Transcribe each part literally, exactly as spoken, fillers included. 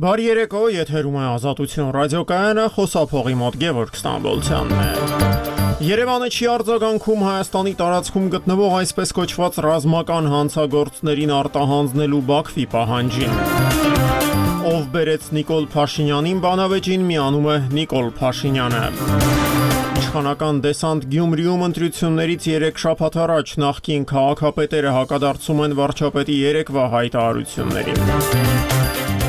Բարի երեկո, եթերում է Ազատություն ռադիոկայանը, խոսափողի մոտ Գևորգ Ստամբոլցյանն է։ Երևանը չի արձագանքում Հայաստանի տարածքում գտնվող այսպես կոչված ռազմական հանցագործներին արտահանձնելու Բաքվի պահանջին։ Ով բերեց Նիկոլ Փաշինյանին բանավեճին, միանում է Նիկոլ Փաշինյանը։ Իշխանական դեսանտ Գյումրիում ընտրություններից երեք շաբաթ առաջ նախկին քաղաքապետերը հակադարձում են վարչապետի երեկվա հայտարարություններին։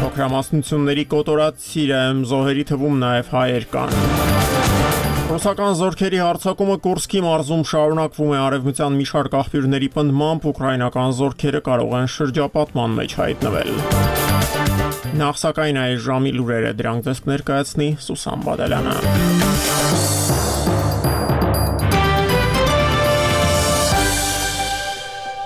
Փոքրամասնությունների կոտորած Սիրիայում զոհերի թվում նաև հայեր կան։ Ռուսական զորքերի հարձակումը Կուրսկի մարզում շարունակվում է արևմտյան մի շարք աղբյուրների պնդմամբ ուկրաինական զորքերը կարող են շրջապատման մեջ հայտնվել։ Նախ սակայն այս ժամի լուրերը դրանք ձեզ կներկայացնի Սուսան Բադալյանը։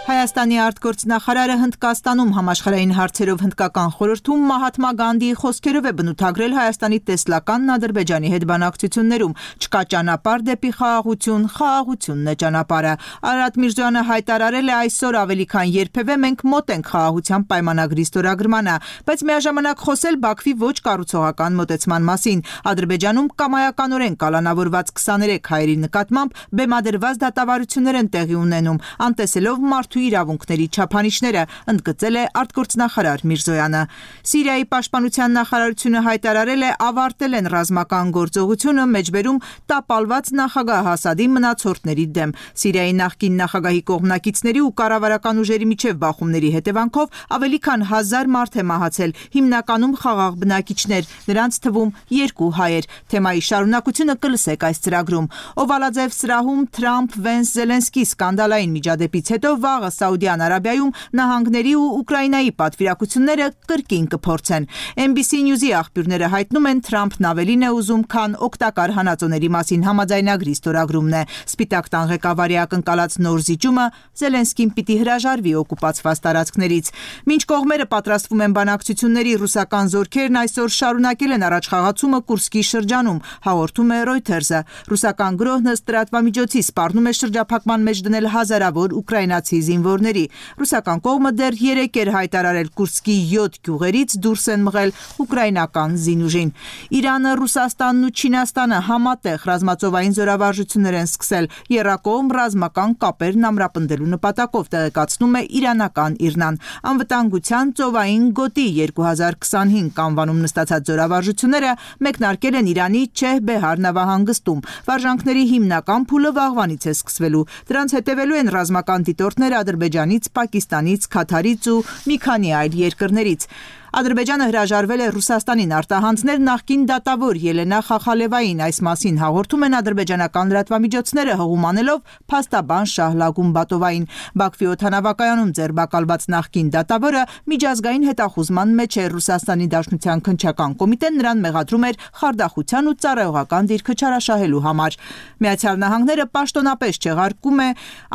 Հայաստանի արտգործնախարարը Հնդկաստանում համաշխարհային հարցերով հնդկական խորհրդում Մահաթմա Գանդիի խոսքերով է բնութագրել Հայաստանի տեսլականն Ադրբեջանի հետ բանակցություններում։ Չկա ճանապարհ դեպի խաղաղություն, խաղաղությունն է ճանապարհը։ Արարատ Միրզոյանը հայտարարել է այսօր ավելի քան երբևէ մենք մոտ ենք խաղաղության պայմանագրի ստորագրմանը, բայց միաժամանակ խոսել Բաքվի ոչ կառուցողական մոտեցման մասին։ Ադրբեջանում կամայականորեն կալանավորված քսաներեք հայերի նկատմամբ բեմադրված դատավարություններ են տեղի ունենում, անտեսելով մարդու իրավունքների չափանիշները, ընդգծել է արտգործնախարար Միրզոյանը։ Սիրիայի պաշտպանության նախարարությունը հայտարարել է ավարտել են ռազմական գործողությունը մեջբերում տապալված նախագահ Ասադի մնացորդների դեմ։ Սիրիայի նախկին նախագահի կողմնակիցների ու կառավարական ուժերի միջև բախումների հետևանքով ավելի քան հազար մարդ է մահացել, հիմնականում խաղաղ բնակիչներ, նրանց թվում երկու հայեր։ Թեմայի շարունակությունը կլսեք այս ծրագրում։ Օվալաձև սրահում Թրամփ-Վենս-Զելենսկի սկանդալային միջադեպից հետո վաղը Սաուդյան Արաբիայում նահանգների ու Ուկրաինայի պատվիրակությունները կրկին կփորձեն։ Էն բի սի News-ի աղբյուրները հայտնում են Թրամփն ավելին է ուզում, քան օգտակար հանածոների մասին համաձայնագրի ստորագրումն է։ Սպիտակ տան ղեկավարի ակնկալած նոր զիջումը Զելենսկին պիտի հրաժարվի օկուպացված տարածքներից։ Մինչ կողմերը պատրաստվում են բանակցությունների, ռուսական զորքերն այսօր շարունակել են առաջխաղացումը Կուրսկի շրջանում, հաղորդում է Reuters-ը։ Ռուսական գրոհն ըստ լրատվամիջոցի սպառնում է շրջափակման մեջ դնել հազարավոր ուկրաինացի զինվորների։ Ռուսական կողմը դեռ երեկ էր հայտարարել Կուրսկի յոթ գյուղերից դուրս են մղել ուկրաինական զինուժին։ Իրանը, Ռուսաստանն ու Չինաստանը համատեղ ռազմածովային զորավարժություններ են սկսել եռակողմ ռազմական կապերն ամրապնդելու նպատակով, տեղեկացնում է իրանական ԻՌՆ-ն։ Անվտանգության ծովային գոտի երկու հազար քսանհինգ անվանում նստածած զորավարժությունները մեկնարկել են Իրանի Չեհ-Բեհար նավահանգստում։ Վարժանքների հիմնական փուլը վաղվանից է սկսվելու։ Դրանց հետևելու են ռազմական դիտորդներ Ադրբեջանից, Պակիստանից, Քաթարից ու մի քանի այլ երկրներից։ Ադրբեջանը հրաժարվել է Ռուսաստանին արտահանձնել նախկին դատավոր Ելենա Խախալևային, այս մասին հաղորդում են ադրբեջանական լրատվամիջոցները, հղումանելով փաստաբան Շահլա Գումբատովային։ Բաքվի օդանավակայանում ձերբակալված նախկին դատավորը միջազգային հետախուզման մեջ է։ Ռուսաստանի Դաշնության քննչական կոմիտեն նրան մեղադրում էր խարդախության ու ծառայողական դիրքը չարաշահելու համար։ Միացյալ Նահանգները պաշտոնապես չեղարկում է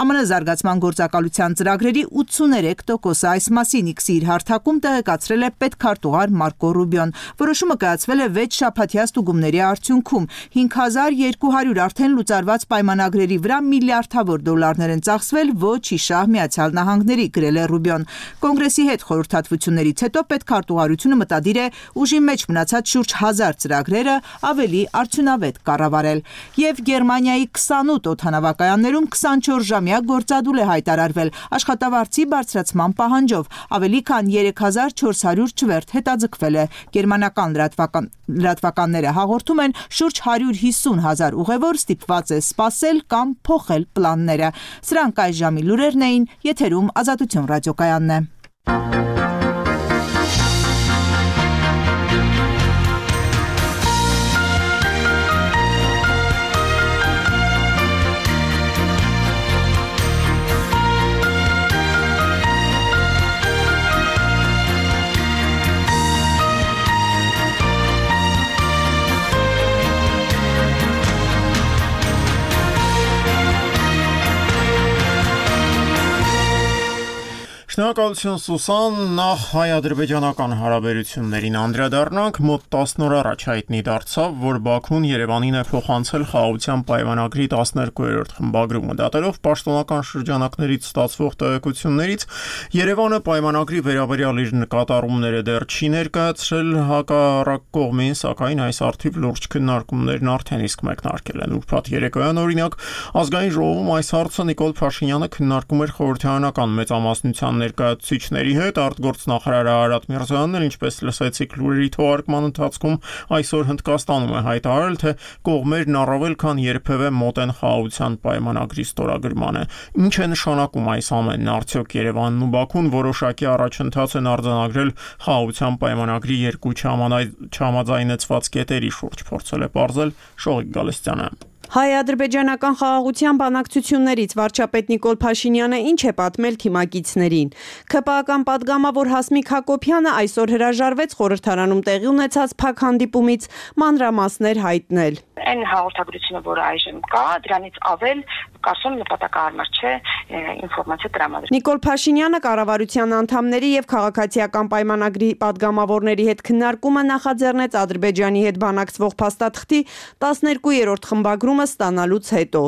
ԱՄՆ զարգացման գործակալության ծրագրերի ութսուներեք տոկոսը։ Այս մասին X-ի իր հարթակում տեղեկացրել է պետքարտուղար Մարկո Ռուբիոն։ Որոշումը կայացվել է վեց շաբաթյա ստուգումների արդյունքում։ հինգ հազար երկու հարյուր արդեն լուծարված պայմանագրերի վրա միլիարդավոր դոլարներ են ծախսվել ոչ իշահ Միացյալ Նահանգների, գրել է Ռուբիոն։ Կոնգրեսի հետ խորհրդատվություններից հետո պետքարտուղարությունը մտադիր է ուժի մեջ մնացած շուրջ հազար ծրագրերը ավելի արդյունավետ կառավարել։ Եվ Գերմանիայի քսանութ օդանավակայաններում քսանչորս ժամյա գործադուլ է հայտարարվել աշխատավարձի բարձրացման պահանջով։ Ավելի քան երեք հազար չորս հարյուր չվերթ հետաձգվել է։ Գերմանական լրատվական լրատվականները հաղորդում են շուրջ հարյուր հիսուն հազար ուղևոր ստիպված է սպասել կամ փոխել պլանները։ Սրանք այս ժամի լուրերն էին, եթերում Ազատություն ռադիոկայանն է։ Շնորհակալություն Սուսան, նախ հայ-ադրբեջանական հարաբերություններին անդրադառնանք, մոտ տասն օր առաջ հայտնի դարձավ, որ Բաքուն Երևանին է փոխանցել խաղաղության պայմանագրի տասներկուերորդ խմբագրումը։ Դատելով պաշտոնական շրջանակներից ստացվող տեղեկություններից, Երևանը պայմանագրի վերաբերյալ իր նկատառումները դեռ չի ներկայացրել հակառակ կողմին, սակայն այս առթիվ լուրջ քննարկումներն արդեն իսկ մեկնարկել են։ Ուրբաթ երեկոյան, օրինակ, ազգային ժողովում այս հարցը Նիկոլ Փաշինյանը քննարկում էր խորհրդարանական մեծամասնության ներկայացուցիչների հետ, արտգործնախարար Արարատ Միրզոյանն, ինչպես լսեցիք լուրերի թողարկման ընթացքում, այսօր Հնդկաստանում է հայտարարել, թե կողմերն առավել քան երբևէ մոտ են խաղաղության պայմանագրի ստորագրմանը։ Ինչ է նշանակում այս ամենն, արդյոք Երևանն ու Բաքուն որոշակի առաջընթաց են արձանագրել խաղաղության պայմանագրի երկու չհամաձայնեցված կետերի շուրջ, փորձել է պարզել Շողիկ Գալստյանը։ Հայ-ադրբեջանական խաղաղության բանակցություններից վարչապետ Նիկոլ Փաշինյանը ինչ է պատմել թիմակիցներին։ ՔՊԱ-ական պատգամավոր Հասմիկ Հակոբյանը այսօր հրաժարվեց խորհրդարանում տեղի ունեցած փակ հանդիպումից մանրամասներ հայտնել։ Այն հաղորդագրությունը, որը այժմ կա, դրանից ավել կարծում նպատակահարմար չէ ինֆորմացիա տրամադրել։ Նիկոլ Փաշինյանը կառավարության անդամների եւ քաղաքացիական պայմանագրի պատգամավորների հետ քննարկումը նախաձեռնեց Ադրբեջանի հետ բանակցվող փաստաթղթի տասներկուերորդ խմբագրումը ստանալուց հետո։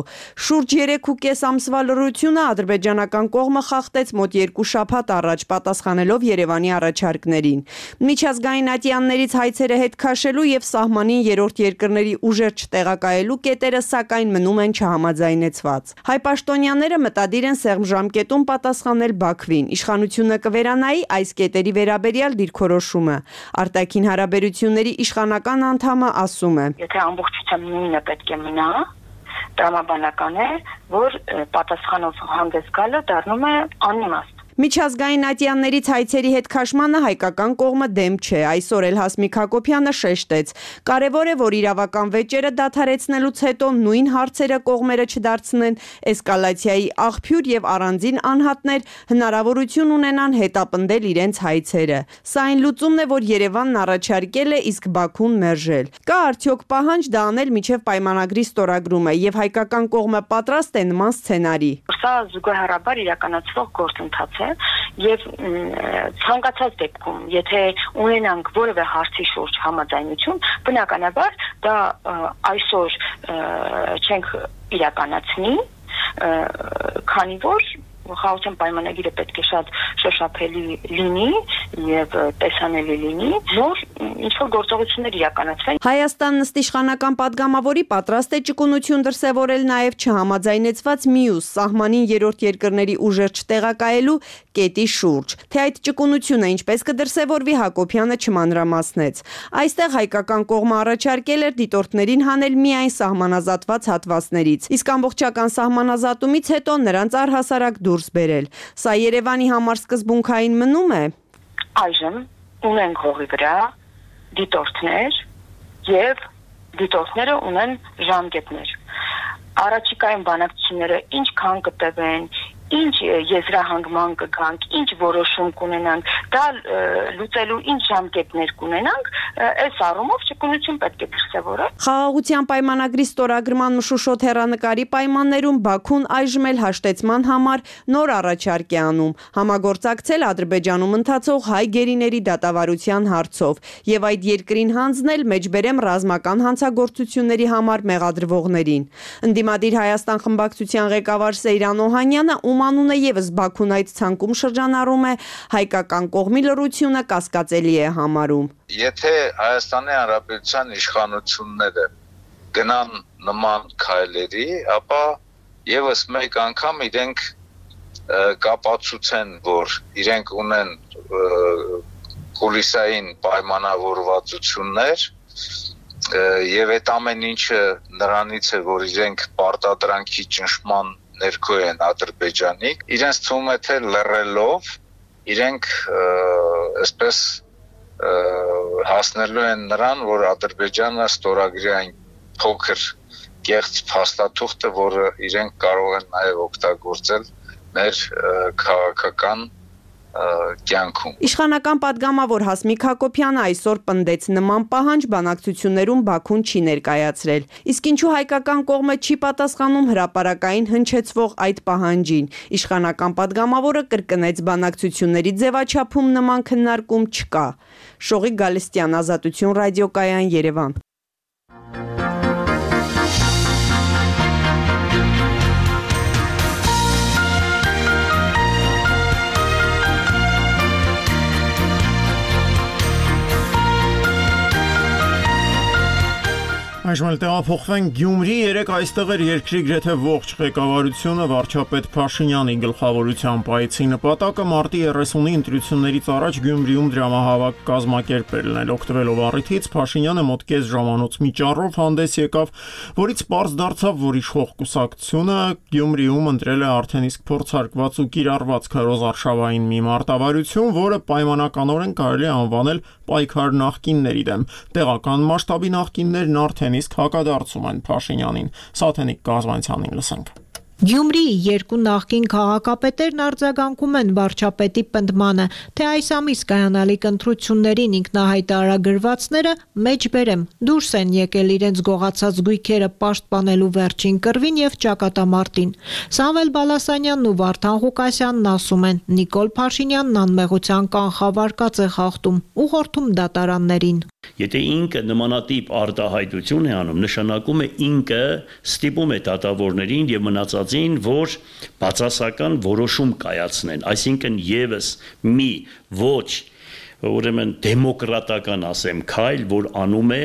Շուրջ երեք ու կես ամսվա լռությունը ադրբեջանական կողմը խախտեց մոտ երկու շաբաթ առաջ, պատասխանելով Երևանի առաջարկներին։ Միջազգային ատյաններից հայցերը հետ քաշելու եւ սահմանին երրորդ երկրների ուժեր չտեղակայելու կետերը սակայն մնում են չհամաձայնեցված։ Հայ պաշտոնյաները մտադիր են սեղմ ժամկետում պատասխանել Բաքվին։ Իշխանությունը կվերանայի այս կետերի վերաբերյալ դիրքորոշումը։ Արտաքին հարաբերությունների իշխանական անդամը ասում է. Եթե ամբողջությամբ նույնը պետք է մնա, տրամաբանական է, որ պատասխանով հանդես գալը դառնում է անիմաստ։ Միջազգային ատյաններից հայցերի հետ քաշմանը հայկական կողմը դեմ չէ։ Այսօր էլ Հասմիկ Հակոբյանը շեշտեց. կարևոր է, որ իրավական վեճերը դադարեցնելուց հետո նույն հարցերը կողմերը չդարձնեն էսկալացիայի աղբյուր եւ առանձին անհատներ հնարավորություն ունենան հետապնդել իրենց հայցերը։ Սա այն լուծումն է, որ Երևանն առաջարկել է, իսկ Բաքուն մերժել։ Կա արդյոք պահանջ դա անել միջև պայմանագրի ստորագրումը եւ հայկական կողմը պատրաստ է նման սցենարի։ Սա զուգահեռաբար իրականացվող գործընթաց է եւ ցանկացած դեպքում, եթե ունենանք որևէ հարցի շուրջ համաձայնություն, բնականաբար դա այսօր չենք իրականացնի, քանի որ խաղաղության պայմանագիրը պետք է շատ շոշափելի լինի եւ տեսանելի լինի, որ ինչ-որ գործողություններ իրականացվեն։ Հայաստան նստիշխանական պատգամավորի պատրաստ է ճկունություն դրսևորել նաեւ չհամաձայնեցված մյուս սահմանին երրորդ երկրների ուժեր չտեղակայելու կետի շուրջ։ Թե այդ ճկունությունը ինչպես կդրսևորվի, Հակոբյանը չմանրամասնեց։ Այստեղ հայկական կողմը առաջարկել էր դիտորդներին հանել միայն սահմանազատված հատվածներից, իսկ ամբողջական սահմանազատումից հետո նրանց առհասարակ դուրս բերել։ Սա Երևանի համար սկզբունքային մնում է։ Այժմ ունենք հողի վրա դիտորդներ եւ դիտորդները ունեն ժամկետներ։ Առաջիկայում բանակցությունները ինչքան կտևեն, ինչ եզրահանգման կգանք, ինչ որոշում կունենանք, դա լուծելու ինչ ժամկետներ կունենանք, այս առումով ճկունություն պետք է դրսևորել։ Խաղաղության պայմանագրի ստորագրման մշուշոտ հեռանկարի պայմաններում Բաքուն այժմ էլ հաշտեցման համար նոր առաջարկ է անում, համագործակցել Ադրբեջանում ընթացող հայ գերիների դատավարության հարցով եւ այդ երկրին հանձնել մեջբերեմ ռազմական հանցագործությունների համար մեղադրվողներին։ Ընդդիմադիր Հայաստան խմբակցության ղեկավար Սեյրան Օհանյանը, ում անունը եւս Բաքուն այդ ցանկում շրջանառում է, հայկական կողմի լռությունը կասկածելի է համարում։ Եթե Հայաստանի Հանրապետության իշխանությունները գնան նման քայլերի, ապա եւս մեկ անգամ իրենք կապացուցեն, որ իրենք ունեն կուլիսային պայմանավորվածություններ եւ այդ ամեն ինչը նրանից է, որ իրենք պարտադրանքի ճնշման ներքո են Ադրբեջանի, իրենց թվում է թե լռելով իրենք այսպես հասնելու են նրան, որ Ադրբեջանը ստորագրի այն փոքր կեղծ փաստաթուղթը, որը իրենք կարող են նաև օգտագործել մեր քաղաքական կյանքում։ Իշխանական պատգամավոր Հասմիկ Հակոբյանը այսօր պնդեց նման պահանջ բանակցություններում Բաքուն չի ներկայացրել։ Իսկ ինչու հայկական կողմը չի պատասխանում հրապարակային հնչեցվող այդ պահանջին։ Իշխանական պատգամավորը կրկնեց բանակցությունների ձևաչափում նման քննարկում չկա։ Շողիկ Գալստյան, Ազատություն ռադիոկայան, Երևան։ Այժմ էլ տեղափոխվենք Գյումրի, երեք այստեղ էր երկրի գրեթե ողջ ղեկավարությունը վարչապետ Փաշինյանի գլխավորությամբ այցի նպատակը մարտի երեսունի ընտրություններից առաջ Գյումրիում դրամահավաք կազմակերպելն էր։ Օգտվելով առիթից Փաշինյանը մոտ կես ժամանոց միջառով հանդես եկավ, որից պարզ դարձավ, որ իշխող կուսակցությունը Գյումրիում ընտրել է արդեն իսկ փորձարկված ու կիրառված քարոզարշավային մի մարտավարություն, որը պայմանականորեն կարելի է անվանել պայքար նախկինների դեմ։ Տեղական մասշտաբի նախկիններն արդեն իսկ հակադարձում են Փաշինյանին։ Սաթենիկ Գազմանցյանին լսենք։ Գյումրիի երկու նախկին քաղաքապետերն արձագանքում են վարչապետի պնդմանը, թե այս ամիս կայանալիք ընտրություններին ինքնահայտարարագրվածները մեջբերեմ դուրս են եկել իրենց գողացած գույքերը պաշտպանելու վերջին կռվին եւ ճակատամարտին։ Սամվել Բալասանյանն ու Վարդան Ղուկասյանն ասում են, Նիկոլ Փաշինյանն անմեղության կանխավարկած է խախտում, ուղղորդում դատարաններին։ Եթե ինքը նմանատիպ արտահայտություն է անում, նշանակում է ինքը ստիպում է դատավորներին եւ մնացածին, որ բացասական որոշում կայացնեն, այսինքն եւս մի ոչ ուրեմն դեմոկրատական ասեմ քայլ, որ անում է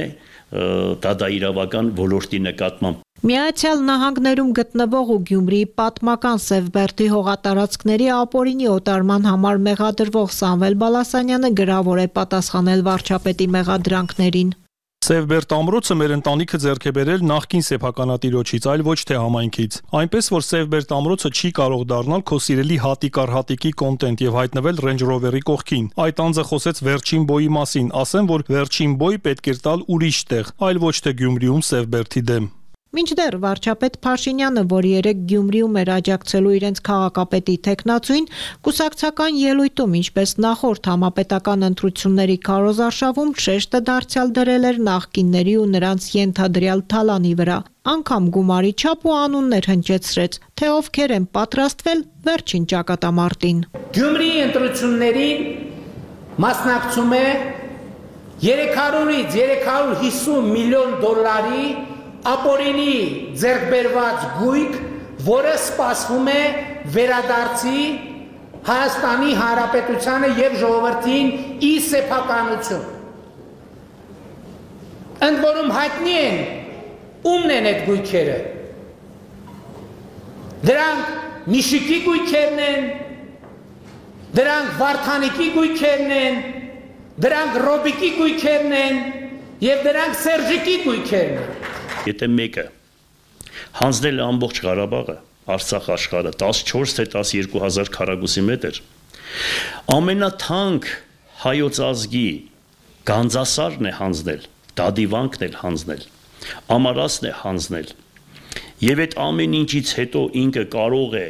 դատաիրավական ոլորտի նկատմամբ։ Միացյալ Նահանգներում գտնվող ու Գյումրիի պատմական Սևբերդի հողատարածքների ապօրինի օտարման համար մեղադրվող Սամվել Բալասանյանը գրավոր է պատասխանել վարչապետի մեղադրանքներին։ Սևբերդ ամրոցը մեր ընտանիքը ձեռք է բերել նախկին սեփականատիրոջից, այլ ոչ թե համայնքից։ Այնպես որ Սևբերդ ամրոցը չի կարող դառնալ քո սիրելի հատիկ առ հատիկի կոնտենտ եւ հայտնվել Range Rover-ի կողքին։ Այդ անձը խոսեց վերջին բոյի մասին, ասեմ, որ վերջին բոյ պետք է տալ ուրիշ տեղ, այլ ոչ թե Գյումրիում Սևբերդի դեմ։ Մինչդեռ վարչապետ Փաշինյանը, որ երեք Գյումրիում էր աջակցելու իրենց քաղաքապետի տեխնացուին, կուսակցական ելույթում, ինչպես նախորդ համապետական ընտրությունների քարոզարշավում, շեշտը դարձյալ դրել էր նախկինների ու նրանց ենթադրյալ թալանի վրա։ Անգամ գումարի չափ ու անուններ հնչեցրեց, թե ովքեր են պատրաստվել վերջին ճակատամարտին։ Գյումրիի ընտրություններին մասնակցում է երեք հարյուրից երեք հարյուր հիսուն միլիոն դոլարի ապօրինի ձեռքբերված գույք, որը սպասվում է վերադարձի Հայաստանի Հանրապետությանը եւ ժողովրդին ի սեփականություն։ Ընդ որում հայտնի են ումն են այդ գույքերը։ Դրանք Միշիկի գույքերն են, դրանք Վարդանիկի գույքերն են, դրանք Ռոբիկի գույքերն են եւ դրանք Սերժիկի գույքերն են։ Եթե մեկը հանձնել ամբողջ Ղարաբաղը, Արցախ աշխարհը տասնչորս թե տասնյոթ հազար քառակուսի մետր, ամենաթանկ հայոց ազգի գանձասարն է հանձնել, դադիվանքն է հանձնել, ամարասն է հանձնել, եւ այդ ամեն ինչից հետո ինքը կարող է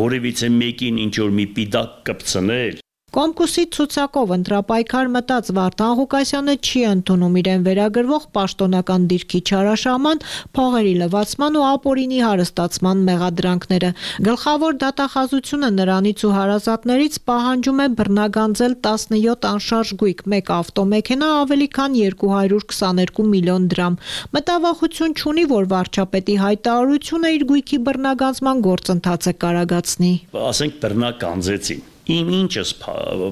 որևիցե մեկին ինչ որ մի պիտակ կպցնել։ Կոմկուսի ցուցակով ընտրապայքար մտած Վարդան Ղուկասյանը չի ընդունում իրեն վերագրվող պաշտոնական դիրքի չարաշահման, փողերի լվացման ու ապօրինի հարստացման մեղադրանքները։ Գլխավոր դատախազությունը նրանից ու հարազատներից պահանջում է բռնագանձել տասնյոթ անշարժ գույք, մեկ ավտոմեքենա, ավելի քան երկու հարյուր քսաներկու միլիոն դրամ։ Մտավախություն չունի, որ վարչապետի հայտարարությունը իր գույքի բռնագանձման գործընթացը կարագացնի։ Ասենք բռնագանձեցին։ Իմ ինչս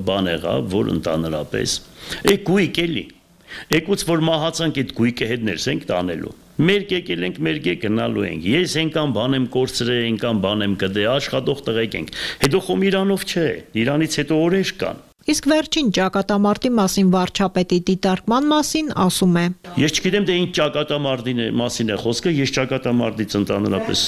բան եղավ, որ ընդանրապես է գույք էլի։ Եկուց որ մահացանք այդ գույքը հետ ներսենք տանելու։ Մեր եկել ենք, մեր եկել գնալու ենք։ Ես ենքան բան եմ կորցրել, ենքան բան եմ կդե, աշխատող տղեկ ենք։ Հետո խոմ Իրանով չէ, Իրանից հետո օրեր կան։ Իսկ վերջին ճակատամարտի մասին վարչապետի դիտարկման մասին ասում է. Ես չգիտեմ թե ինչ ճակատամարտի մասին է խոսքը, ես ճակատամարտից ընդհանրապես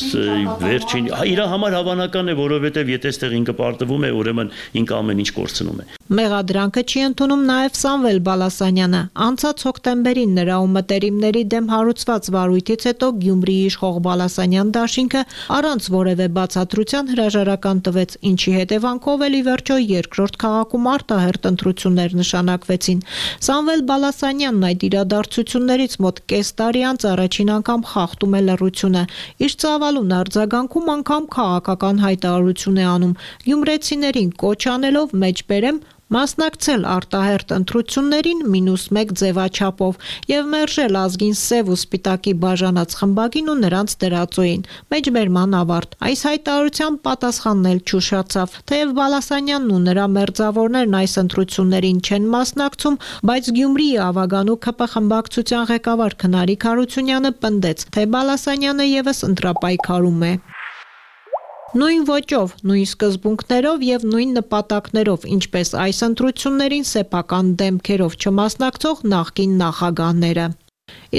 վերջին իր համար հավանական է, որովհետև եթե այստեղ ինքը պարտվում է, ուրեմն ինքը ամեն ինչ կորցնում է։ Մեղադրանքը չի ընդունում նաև Սամվել Բալասանյանը։ Անցած հոկտեմբերին նրա ու մտերիմների դեմ հարուցված վարույթից հետո Գյումրիի իշխող Բալասանյան դաշինքը առանց որևէ բացատրության հրաժարական տվեց, ինչի հետևանքով էլ ի վերջո երկրորդ քաղաքում արտահերթ ընտրություններ նշանակվեցին։ Սամվել Բալասանյանն այդ իրադարձություններից մոտ կես տարի անց առաջին անգամ խախտում է լռությունը։ Իր ծավալուն արձագանքում անգամ քաղաքական հայտարարություն է անում։ Գյումրեցիներին կոչ անելով մեջբերեմ մասնակցել արտահերթ ընտրություններին մինուս մեկ ձևաչափով եւ մերժել ազգին սև ու սպիտակի բաժանած խմբագին ու նրանց դրածոյին։ Մեջբերման ավարտ։ Այս հայտարարության պատասխանն էլ չուշացավ։ Թեև Բալասանյանն ու նրա մերձավորներն այս ընտրություններին չեն մասնակցում, բայց Գյումրիի Ավագանու ՔՊ խմբակցության ղեկավար Քնարիկ Հարությունյանը պնդեց, թե Բալասանյանը եւս ընտրապայքարում է։ Նույն ոճով, նույն սկզբունքներով եւ նույն նպատակներով, ինչպես այս ընտրություններին սեփական դեմքերով չմասնակցող նախկին նախագահները։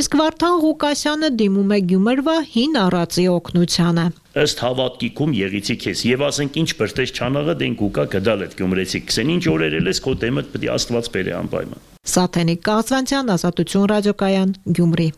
Իսկ Վարդան Ղուկասյանը դիմում է Գյումրվա հին առածի օգնությանը։ Ըստ հավատքիքում եղիցի քեզ եւ ասենք ինչ բրտես չանաղը դեն կուկա գդալ այդ գյումրեցի քսեն ինչ օրերել ես քո դեմը պետք է Աստված բերե անպայման։ Սաթենիկ Կազվանցյան, Ազատություն ռադիոկայան, Գյումրի։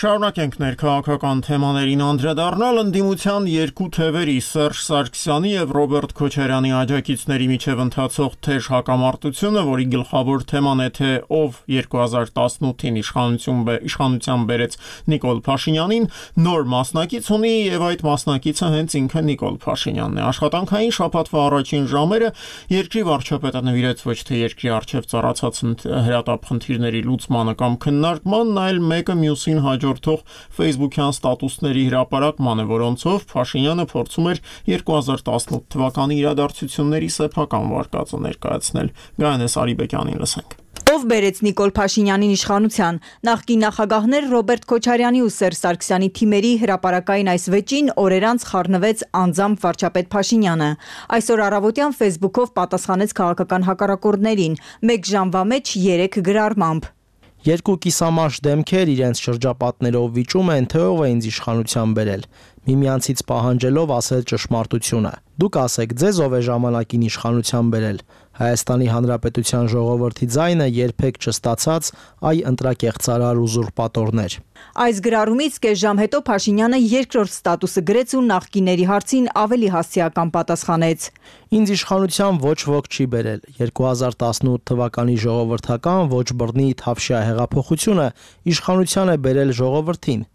Շարունակենք ներքաղաքական թեմաներին անդրադառնալ ընդդիմության երկու թևերի Սերժ Սարգսյանի եւ Ռոբերտ Քոչարյանի աջակիցների միջև ընթացող թեժ հակամարտությունը, որի գլխավոր թեման է թե ով երկու հազար տասնութին իշխանություն իշխանության բերեց Նիկոլ Փաշինյանին, նոր մասնակից ունի եւ այդ մասնակիցը հենց ինքը Նիկոլ Փաշինյանն է։ Աշխատանքային շաբաթվա առաջին ժամերը երկրի վարչապետը նվիրեց ոչ թե երկրի առջև ծառացած հրատապ խնդիրների լուծմանը կամ քննարկմանն, այլ մեկը մյուսին հաջող Facebook-յան ստատուսների հրապարակման է, որոնցով Փաշինյանը փորձում էր երկու հազար տասնութ թվականի իրադարձությունների սեփական վարկածը ներկայացնել։ Գայանես Արիբեկյանին լսենք։ Ով բերեց Նիկոլ Փաշինյանին իշխանության։ Նախկին նախագահներ Ռոբերտ Քոչարյանի ու Սերժ Սարգսյանի թիմերի հրապարակային այս վեճին օրեր անց խառնվեց անձամբ վարչապետ Փաշինյանը։ Այսօր առավոտյան Facebook-ով պատասխանեց քաղաքական հակառակորդներին, մեկ ժամվա մեջ երեք գրառմամբ։ Երկու կիսամարշ դեմքեր իրենց շրջապատներով վիճում են, թե ով է ինձ իշխանության բերել, միմյանցից պահանջելով ասել ճշմարտությունը։ Դուք ասեք, ձեզ ով է ժամանակին իշխանության բերել։ Հայաստանի Հանրապետության ժողովրդի ձայնը երբեք չստացած այ ընտրակեղծարար ուզուրպատորներ։ Այս գրառումից կես ժամ հետո Փաշինյանը երկրորդ ստատուսը գրեց ու նախկիների հարցին ավելի հասցեական պատասխանեց։ Ինձ իշխանության ոչ ոք չի բերել։ երկու հազար տասնութ թվականի ժողովրդական ոչ բռնի Թավշյա հեղափոխությունը իշխանության է բերել ժողովրդին։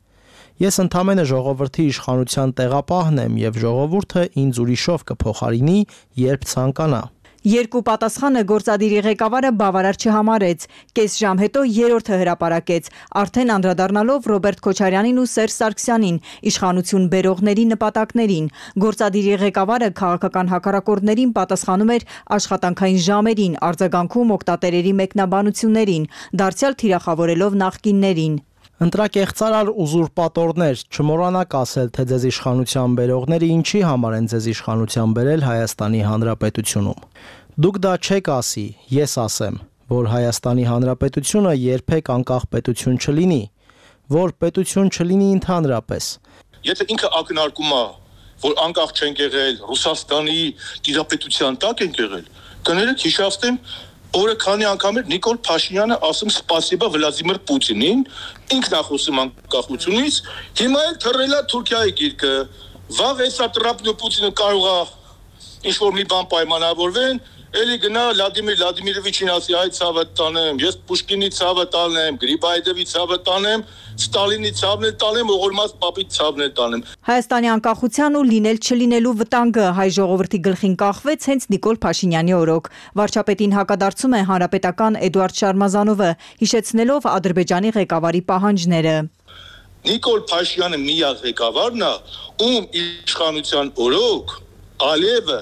Ես ընդամենը ժողովրդի իշխանության տեղապահն եմ եւ ժողովուրդը ինձ ուրիշով կփոխարինի, երբ ցանկանա։ Երկու պատասխանը գործադիրի ղեկավարը բավարար չհամարեց։ Կես ժամ հետո երրորդը հրապարակեց, արդեն անդրադառնալով Ռոբերտ Քոչարյանին ու Սերժ Սարգսյանին, իշխանություն բերողների նպատակներին։ Գործադիրի ղեկավարը քաղաքական հակառակորդներին պատասխանում էր աշխատանքային ժամերին, արձագանքում օգտատերերի մեկնաբանություններին, դարձյալ թիրախավորելով նախկիններին։ Ընտրակեղծարար ուզուրպատորներ, չմոռանաք ասել, թե ձեզ իշխանության բերողները ինչի համար են ձեզ իշխանության բերել Հայաստանի Հանրապետությունում։ Դուք դա չեք ասի, ես ասեմ, որ Հայաստանի Հանրապետությունը երբեք անկախ պետություն չլինի, որ պետություն չլինի ընդհանրապես։ Եթե ինքը ակնարկում է, որ անկախ չենք եղել, Ռուսաստանի տիրապետության տակ ենք եղել, կներեք հիշացնեմ, օրը քանի անգամ էր Նիկոլ Փաշինյանը ասում սպասիբա Վլադիմիր Պուտինին, ինքն է խոսում անկախությունից, հիմա էլ թռել է Թուրքիայի գիրկը, վաղ էսա Տրամպն ու Պուտինը կարող է ինչ-որ մի բան պայմանավորվեն, էլի գնա Վլադիմիր Վլադիմիրովիչին ասի այդ ցավը տանեմ, ես Պուշկինի ցավը տանեմ, Գրիբայեդովի ցավը տանեմ, Ստալինի ցավն էլ տանեմ, Օղորմաս պապի ցավն էլ տանեմ։ Հայաստանի անկախության ու լինել չլինելու վտանգը հայ ժողովրդի գլխին կախվեց հենց Նիկոլ Փաշինյանի օրոք։ Վարչապետին հակադարձում է հանրապետական Էդուարդ Շարմազանովը, հիշեցնելով Ադրբեջանի ղեկավարի պահանջները։ Նիկոլ Փաշինյանը միակ ղեկավարն է, ում իշխանության օրոք Ալիևը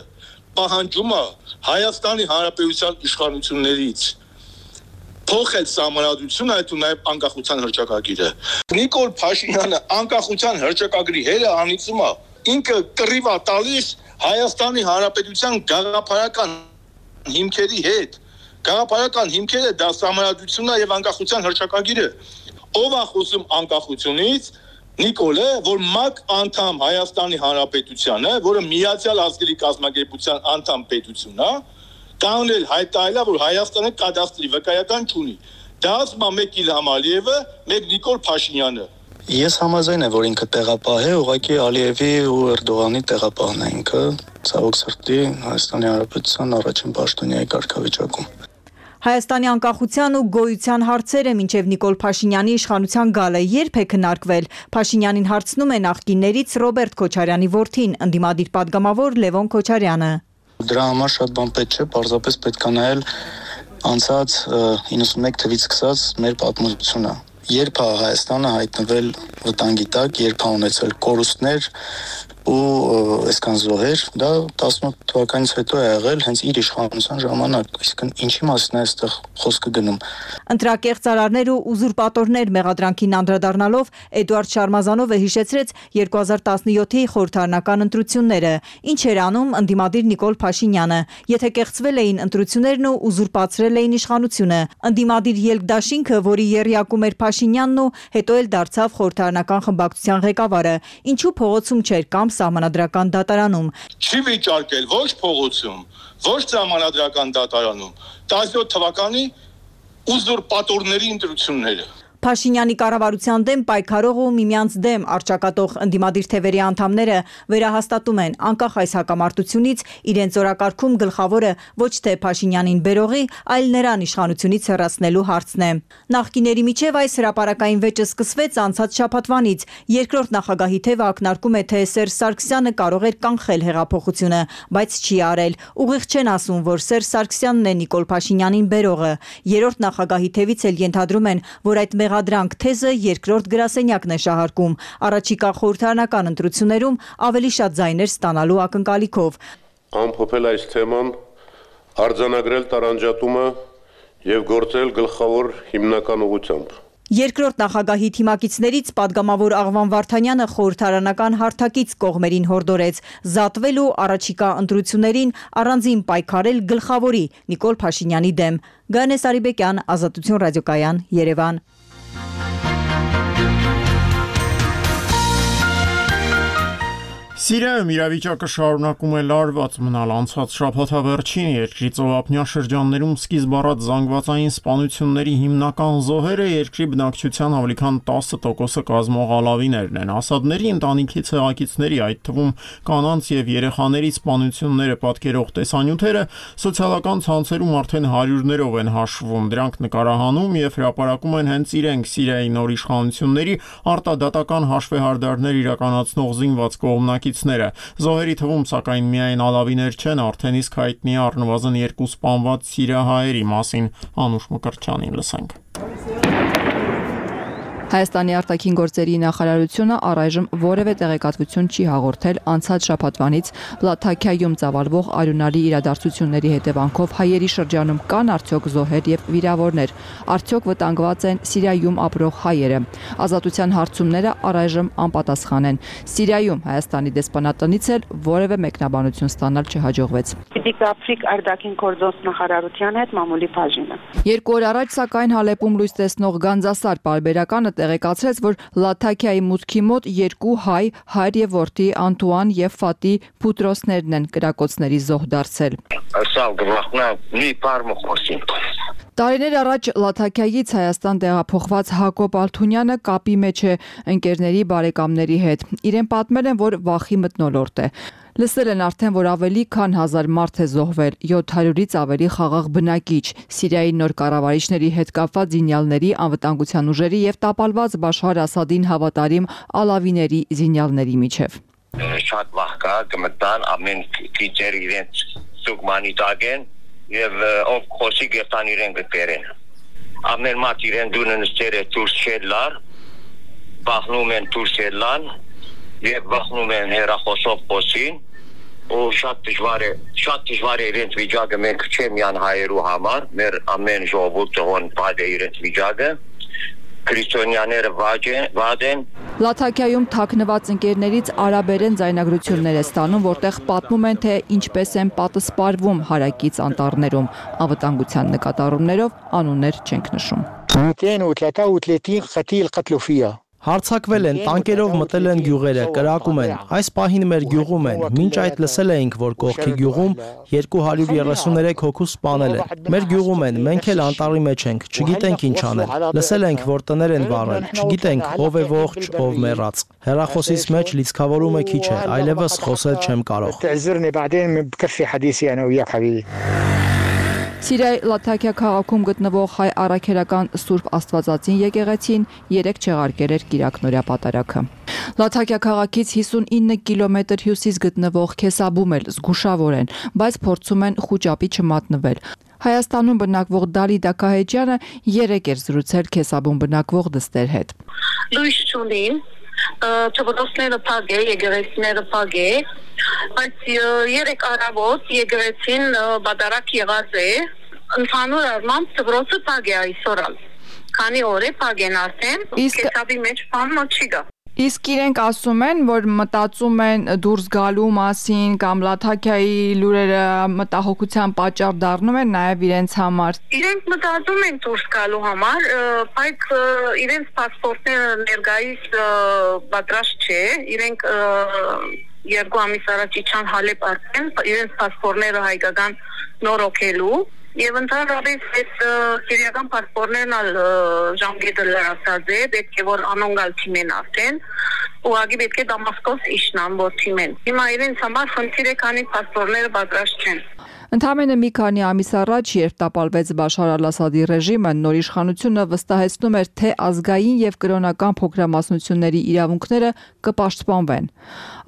պահանջում է Հայաստանի Հանրապետության իշխանություններից փոխել սահմանադրությունը, այդ ու նաև անկախության հռչակագիրը։ Նիկոլ Փաշինյանը անկախության հռչակագրի հերը անիծում է, ինքը կռիվ է տալիս Հայաստանի Հանրապետության գաղափարական հիմքերի հետ։ Գաղափարական հիմքերը դա սահմանադրությունն է եւ անկախության հռչակագիրը։ Ով է խոսում անկախությունից։ Նիկոլը, որ ՄԱԿ անդամ Հայաստանի Հանրապետությանը, որը Միացյալ Ազգերի կազմակերպության անդամ պետություն է, կանոնել հայտարարել է, որ Հայաստանը կադաստրի վկայական չունի։ Դա ասում է մեկ Իլհամ Ալիևը, մեկ Նիկոլ Փաշինյանը։ Ես համաձայն եմ, որ ինքը տեղապահ է, ուղղակի Ալիևի ու Էրդողանի տեղապահն է ինքը, ցավոք սրտի Հայաստանի Հանրապետության առաջին պաշտոնյայի կարգավիճակում։ Հայաստանի անկախության ու գոյության հարցերը մինչև Նիկոլ Փաշինյանի իշխանության գալը երբ է քննարկվել։ Փաշինյանին հարցնում է նախկիններից Ռոբերտ Քոչարյանի որդին, ընդդիմադիր падգամավոր Լևոն Քոչարյանը։ Դրա համար շատ բան պետք չէ, պարզապես պետք է նայել անցած իննսունմեկ թվականից սկսած մեր պատմությունը։ Երբ է Հայաստանը հայտնվել վտանգի տակ, երբ է ունեցել կորուստներ ու այսքան զոհեր, դա տասնութ թվականից հետո է եղել հենց իր իշխանության ժամանակ, այսինքն ինչի մասին է այստեղ խոսքը գնում։ Ընտրակեղծ արարներ ու ուզուրպատորներ մեղադրանքին անդրադառնալով Էդուարդ Շարմազանովը հիշեցրեց երկու հազար տասնյոթի խորհրդարանական ընտրությունները, ինչ էր անում ընդդիմադիր Նիկոլ Փաշինյանը, եթե կեղծվել էին ընտրություններն ու ուզուրպացրել էին իշխանությունը։ Ընդդիմադիր ելքդաշինքը, որի եռյակում էր Փաշինյանն ու հետո էլ դարձավ խորհրդարանական խմբակցության ղեկավարը, ինչու փողոցում չէր կամ սահմանադրական դատարանում։ Չի վիճարկել ոչ փողոցում, ոչ սահմանադրական դատարանում տասնյոթ թվականի ուզուրպատորների ընտրությունները։ Փաշինյանի կառավարության դեմ պայքարող ու միմյանց դեմ արճակատող ընդդիմադիր թևերի անդամները վերահաստատում են անկախ այս հակամարտությունից իրենց օրակարգում գլխավորը ոչ թե Փաշինյանին բերողի, այլ նրան իշխանությունից հեռացնելու հարցն է։ Նախկիների միջև այս հրապարակային վեճը սկսվեց անցած շաբաթվանից։ Երկրորդ նախագահի թևը ակնարկում է, թե Սերժ Սարգսյանը կարող էր կանխել հեղափոխությունը, բայց չի արել։ Ուղիղ չեն ասում, որ Սերժ Սարգսյանն է Նիկոլ Փաշինյանին բերողը։ Երրորդ նախագահի թևից էլ ենթադրում են, որ այդ մեղադրանք թեզը երկրորդ գրասենյակն է շահարկում, առաջիկա խորհրդարանական ընտրություններում ավելի շատ ձայներ ստանալու ակնկալիքով։ Ամփոփել այս թեման, արձանագրել տարանջատումը եւ գործել գլխավոր հիմնական ուղղությամբ։ Երկրորդ նախագահի թիմակիցներից падգամավոր Աղվան Վարդանյանը խորհրդարանական հարթակից կողմերին հորդորեց զատվել ու առաջիկա ընտրություններին առանձին պայքարել գլխավորի Նիկոլ Փաշինյանի դեմ։ Գանե Սարիբեկյան, Ազատություն ռադիոկայան, Երևան։ Սիրիայում իրավիճակը շարունակում է լարված մնալ անցած շաբաթավերջին երկրի ծովափնյա շրջաններում սկիզբ առած զանգվածային սպանությունների հիմնական զոհերը երկրի բնակչության ավելի քան տասը տոկոսը կազմող ալավիներն են։ Ասադների ընտանիքի ցեղակիցների, այդ թվում կանանց եւ երեխաների սպանությունները պատկերող տեսանյութերը սոցիալական ցանցերում արդեն հարյուրներով են հաշվում։ Դրանք նկարահանում եւ հրապարակում են հենց իրենք Սիրիայի նոր իշխանությունների արտադատական հաշվեհարդարներ իրականացնող զինված կողմնակից Զոհերի թվում սակայն միայն ալավիներ չեն, արդեն իսկ հայտնի է առնվազն երկու սպանված սիրիահայերի մասին։ Անուշ Մկրտչյանին լսենք։ Հայաստանի արտաքին գործերի նախարարությունը առայժմ որևէ տեղեկատվություն չի հաղորդել անցած շաբաթվանից Լաթաքիայում ծավալվող արյունարի իրադարձությունների հետևանքով հայերի շրջանում կան արդյոք զոհեր եւ վիրավորներ, արդյոք վտանգված են Սիրիայում ապրող հայերը։ Ազատության հարցումները առայժմ անպատասխան են։ Սիրիայում Հայաստանի դեսպանատնից էլ որևէ մեկնաբանություն ստանալ չհաջողվեց։ Դիպրոֆիկ արտաքին գործոս նախարարության հետ մամուլի բաժինը։ Երկու օր առաջ սակայն Հալեպում լույս տեսնող Գանձասար պարբերականը տեղեկացրեց, որ Լաթաքիայի մուտքի մոտ երկու հայ, հայր եւ որդի Անտուան եւ Ֆատի Փուտրոսներն են կրակոցների զոհ դարձել։ Տարիներ առաջ Լաթաքիայից Հայաստան տեղափոխված Հակոբ Ալթունյանը կապի մեջ է ընկերների բարեկամների հետ։ Իրեն պատմել են, որ վախի մթնոլորտ է։ Լսել են արդեն, որ ավելի քան հազար մարդ է զոհվել, յոթ հարյուրից ավելի խաղաղ բնակիչ, Սիրիայի նոր կառավարիչների հետ կապված զինյալների, անվտանգության ուժերի եւ տապալված Բաշար Ասադին հավատարիմ ալավիների զինյալների միջև։ Շատ վախ կա, կմտան ամեն քիչեր իրենց սուգմանի տագեն եւ ով խոսի գերտան իրեն գտերեն։ Ամեն մարդ իրեն դունը նստեր է դուրս շելլար, բախնում են դուրս ելան եւ բախնում են հերախոսով խոսին ու շատ դժվար է, շատ դժվար է իրենց վիճակը մենք չեմ յան հայերու համար, մեր ամեն ժողովուրդը ոնց բադ է իրենց վիճակը քրիստոնյաները վատ են։ Լաթաքիայում թաքնված ընկերներից արաբերեն ձայնագրություններ է ստանում, որտեղ պատմում են, թե ինչպես են պատասպարվում հարակից անտառներում։ Անվտանգության նկատառումներով անուններ չենք նշում։ Հարձակվել են, տանկերով մտել են գյուղերը, կրակում են։ Այս պահին մեր գյուղում են։ Մինչ այդ լսել էինք, որ կողքի գյուղում երկու հարյուր երեսուններեք հոգու սպանել են։ Մեր գյուղում են, մենք էլ անտառի մեջ ենք, չգիտենք ինչ անել։ Լսել ենք, որ տներ են վառել, չգիտենք ով է ողջ, ով մեռած։ Հեռախոսից մեջ լիցքավորումը քիչ է, այլևս խոսել չեմ կարող։ Սիրիայի Լաթաքիա քաղաքում գտնվող հայ առաքելական Սուրբ Աստվածածին եկեղեցին երեք չեղարկել էր կիրակնօրյա պատարագը։ Լաթաքիա քաղաքից հիսունինը կիլոմետր հյուսիս գտնվող Քեսաբում էլ զգուշավոր են, բայց փորձում են խուճապի չմատնվել։ Հայաստանում բնակվող Դալի Դակահեջյանը երեք էր զրուցել Քեսաբում բնակվող դստեր հետ։ Լույս չունին, թվրոցները փակ է, եկեղեցիները փակ է, բայց երեք առավոտ եկեղեցին բադարակ եղած է, ընդհանուր առմամբ թվրոցը փակ է այսօր, քանի օր է փակ են արդեն, Քեսաբի մեջ բան չի գա։ Իսկ իրենք ասում են, որ մտածում են դուրս գալու մասին կամ Լաթաքիայի լուրերը մտահոգության պատճառ դառնում են նաև իրենց համար։ Իրենք մտածում են դուրս գալու համար, բայց իրենց паспортները ներկայիս պատրաստ չէ, իրենք երկու ամիս առաջ իջան Հալեբ արդեն, իրենց паспортները հայկական նորոգելու Եվ ընդհանրապես այդ սիրիական պասպորներն ալ ժամկետը լրացած է, պետք է որ անոնգալ թիմեն արդեն, ուղղակի պետք է Դամասկոս իշնան, որ թիմեն։ Հիմա իրենց համար խնդիր է, քանի պասպորները պատրաստ չեն։ Ընդամենը մի քանի ամիս առաջ, երբ տապալվեց Բաշար ալ-Ասադի ռեժիմը, նոր իշխանությունը վստահեցնում էր, թե ազգային եւ կրոնական փոքրամասնությունների իրավունքները կպաշտպանվեն։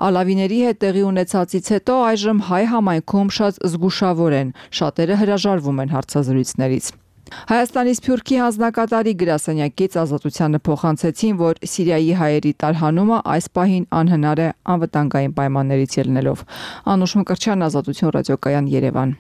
Ալավիների հետ տեղի ունեցածից հետո այժմ հայ համայնքում շատ զգուշավոր են, շատերը հրաժարվում են հարցազրույցներից։ Հայաստանի Սփյուռքի հանձնակատարի գրասենյակից Ազատությանը փոխանցեցին, որ Սիրիայի հայերի տարհանումը այս պահին անհնար է անվտանգային պայմաններից ելնելով։ Անուշ Մկրտչյան, Ազատություն ռադիոկայան, Երևան։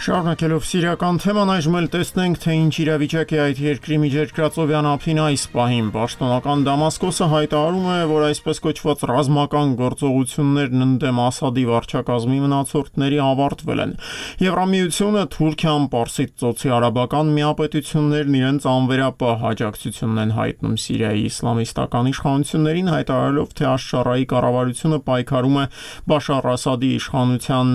Շարունակելով սիրիական թեման, այժմ էլ տեսնենք, թե ինչ իրավիճակ է այդ երկրի միջերկրածովյան ափին այս պահին։ Պաշտոնական Դամասկոսը հայտարարում է, որ այսպես կոչված ռազմական գործողություններն ընդդեմ Ասադի վարչակազմի մնացորդների ավարտվել են։ Եվրամիությունը, Թուրքիան, Պարսից ծոցի արաբական միապետություններն իրենց անվերապահ աջակցությունն են հայտնում Սիրիայի իսլամիստական իշխանություններին, հայտարարելով, թե Աշշարայի կառավարությունը պայքարում է Բաշար Ասադի իշխանության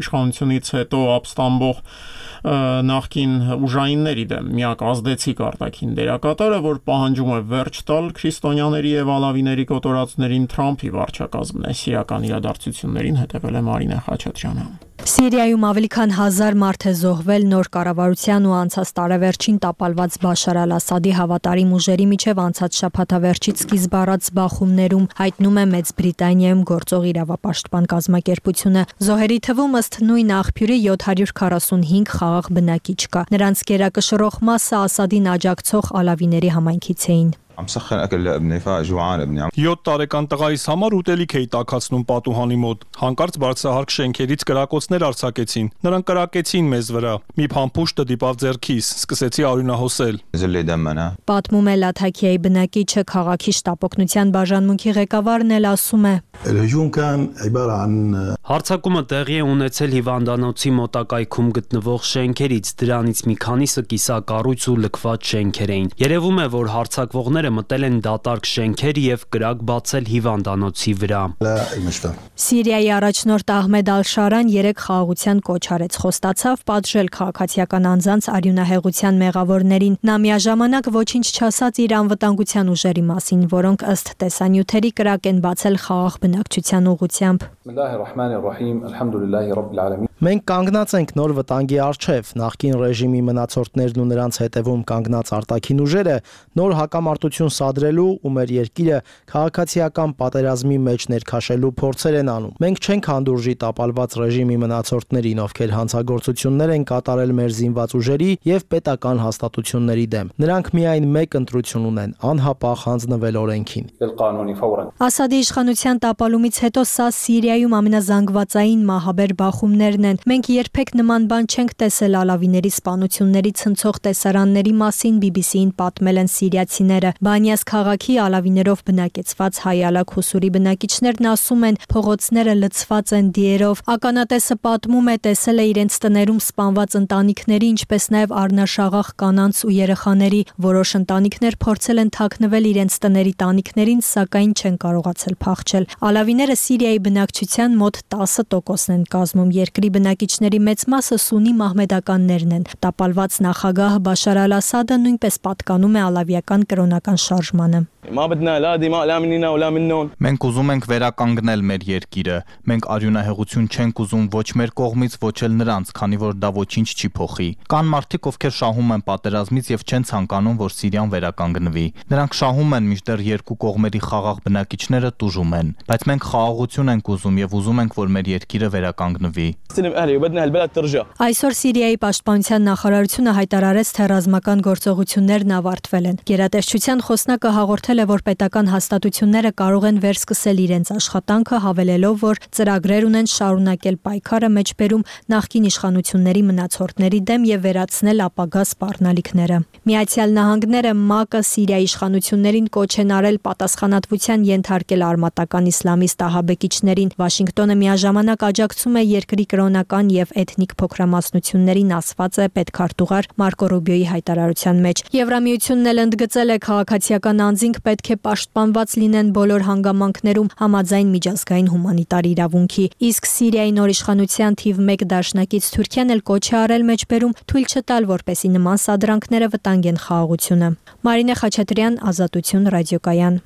իշխանությունից հետո ապստամբ նախկին ուժայինների դեմ միակ ազդեցիկ արտաքին դերակատարը, որ պահանջում է վերջ տալ քրիստոնյաների եւ ալավիների կոտորածներին Թրամփի վարչակազմն է։ Սիրիական իրադարձություններին հետևել է Մարինե Խաչատրյանը։ Սիրիայում ավելի քան հազար մարդ է զոհվել նոր կառավարության ու անցած տարեվերջին տապալված Բաշար ալ-Ասադի հավատարիմ ուժերի միջև անցած շաբաթավերջից սկիզբ առած բախումներում, հայտնում է Մեծ Բրիտանիայում գործող իրավապաշտպան կազմակերպությունը։ Զոհերի թվում ըստ նույն աղբյուրի յոթ հարյուր քառասունհինգ խաղաղ բնակիչ կա։ Նրանց գերակշռող մասը Ասադին աջակցող ալավիների համայնքից էին։ յոթ տարեկան տղայիս համար ուտելիք էի տաքացնում պատուհանի մոտ։ Հանկարծ բարձրահարկ շենքերից կրակոցներ արձակեցին։ Նրանք կրակեցին մեզ վրա։ Մի փամփուշտը դիպավ ձեռքիս, սկսեցի արյունահոսել։ Պատմում է Լաթաքիայի բնակիչը, քաղաքի շտապօգնության բաժանմունքի ղեկավարն էլ ասում է. Հարձակումը տեղի է ունեցել հիվանդանոցի մոտակայքում գտնվող շենքերից, դրանից մի քանիսը կիսակառույց ու լքված շենքեր էին։ Երևում է, որ հարձակվողները մտել են դատարկ շենքեր եւ կրակ բացել հիվանդանոցի վրա։ Սիրիայի առաջնորդ Ահմեդ Ալ-Շարան երեք խաղաղության կոչ արեց, խոստացավ պատժել քաղաքացիական անձանց արյունահեղության մեղավորներին։ Նա միաժամանակ ոչինչ չասաց իր անվտանգության ուժերի մասին, որոնք ըստ տեսանյութերի կրակ են բացել խաղաղ բնակչության ուղղությամբ։ Մենք կանգնած ենք նոր վտանգի առջև, նախկին ռեժիմի մնացորդներն ու նրանց հետևում կանգնած արտաքին ուժերը նոր հակամարտություն սադրելու ու մեր երկիրը քաղաքացիական պատերազմի մեջ ներքաշելու փորձեր են անում։ Մենք չենք հանդուրժի տապալված ռեժիմի մնացորդներին, ովքեր հանցագործություններ են կատարել մեր զինված ուժերի եւ պետական հաստատությունների դեմ։ Նրանք միայն մեկ ընտրություն ունեն՝ անհապաղ հանձնվել օրենքին։ Ասադի իշխանության տապալումից հետո սա Սիրիայում ամենազանգվածային մահաբեր բախումներն են։ Մենք երբեք նման բան չենք տեսել ալավիների սպանությունների ցնցող տեսարանների մասին բի բի սի-ին պատմել են սիրիացիները։ Բանյաս քաղաքի ալավիներով բնակեցված հայ ալակ Հուսուրի բնակիչներն ասում են, փողոցները լցված են դիերով։ Ականատեսը պատմում է, տեսել է իրենց տներում սպանված ընտանիքների, ինչպես նաև առնաշաղախ կանանց ու երեխաների։ Որոշ ընտանիքներ փորձել են թաքնվել իրենց տների տանիքներին, սակայն չեն կարողացել փախչել։ Ալավիները Սիրիայի բնակչության մոտ տասը տոկոսն են կազմում։ Երկրի բնակիչների մեծ մասը սուննի մահմեդականներն են։ Տապալված նախագահ Բաշար Ալ-Ասադը նույնպես պատկանում է ալավիական կրոնական շարժմանը։ Մենք ուզում ենք վերականգնել մեր երկիրը։ Մենք արյունահեղություն չենք ուզում ոչ մեր կողմից, ոչ էլ նրանց, քանի որ դա ոչինչ չի փոխի։ Կան մարդիկ, ովքեր շահում են պատերազմից եւ չեն ցանկանում, որ Սիրիան վերականգնվի։ Նրանք շահում են, մինչդեռ երկու կողմերի խաղաղ բնակիչները տուժում են, բայց մենք խաղաղություն ենք ուզում եւ ուզում ենք, որ մեր երկիրը վերականգնվի։ Այսօր Սիրիայի պաշտպանության նախարարությունը հայտարարեց, թե ռազմական գործողություններն ավարտվել են։ Գերատեսչության խոսնակը հաղորդել է, որ պետական հաստատությունները կարող են վերսկսել իրենց աշխատանքը, հավելելով, որ ծրագրեր ունեն շարունակել պայքարը մեջբերում նախկին իշխանությունների մնացորդների դեմ եւ վերացնել ապագա սպառնալիքները։ Միացյալ Նահանգները ՄԱԿ-ը Սիրիայի իշխանություններին կոչ են արել պատասխանատվության ենթարկել արմատական իսլամիստ ահաբեկիչներին։ Վաշինգտոնը միաժամանակ աջակցում է երկրի կրոնական եւ էթնիկ փոքրամասնություններին, ասված է պետքարտուղար Մարկո Ռուբիոյի հայտարարության մեջ։ Եվրամիությունն էլ ընդգծել է, քաղաքացիական անձինք պետք է պաշտպանված լինեն բոլոր հանգամանքներում համաձայն միջազգային հումանիտար իրավունքի։ Իսկ Սիրիայի նոր իշխանության թիվ մեկ դաշնակից Թուրքիան էլ կոչ է արել մեջբերում թույլ չտալ, որպեսզի նման սադրանքները վտանգեն խաղաղությունը։ Մարինե Խաչատրյան, Ազատություն, ռադիոկայան։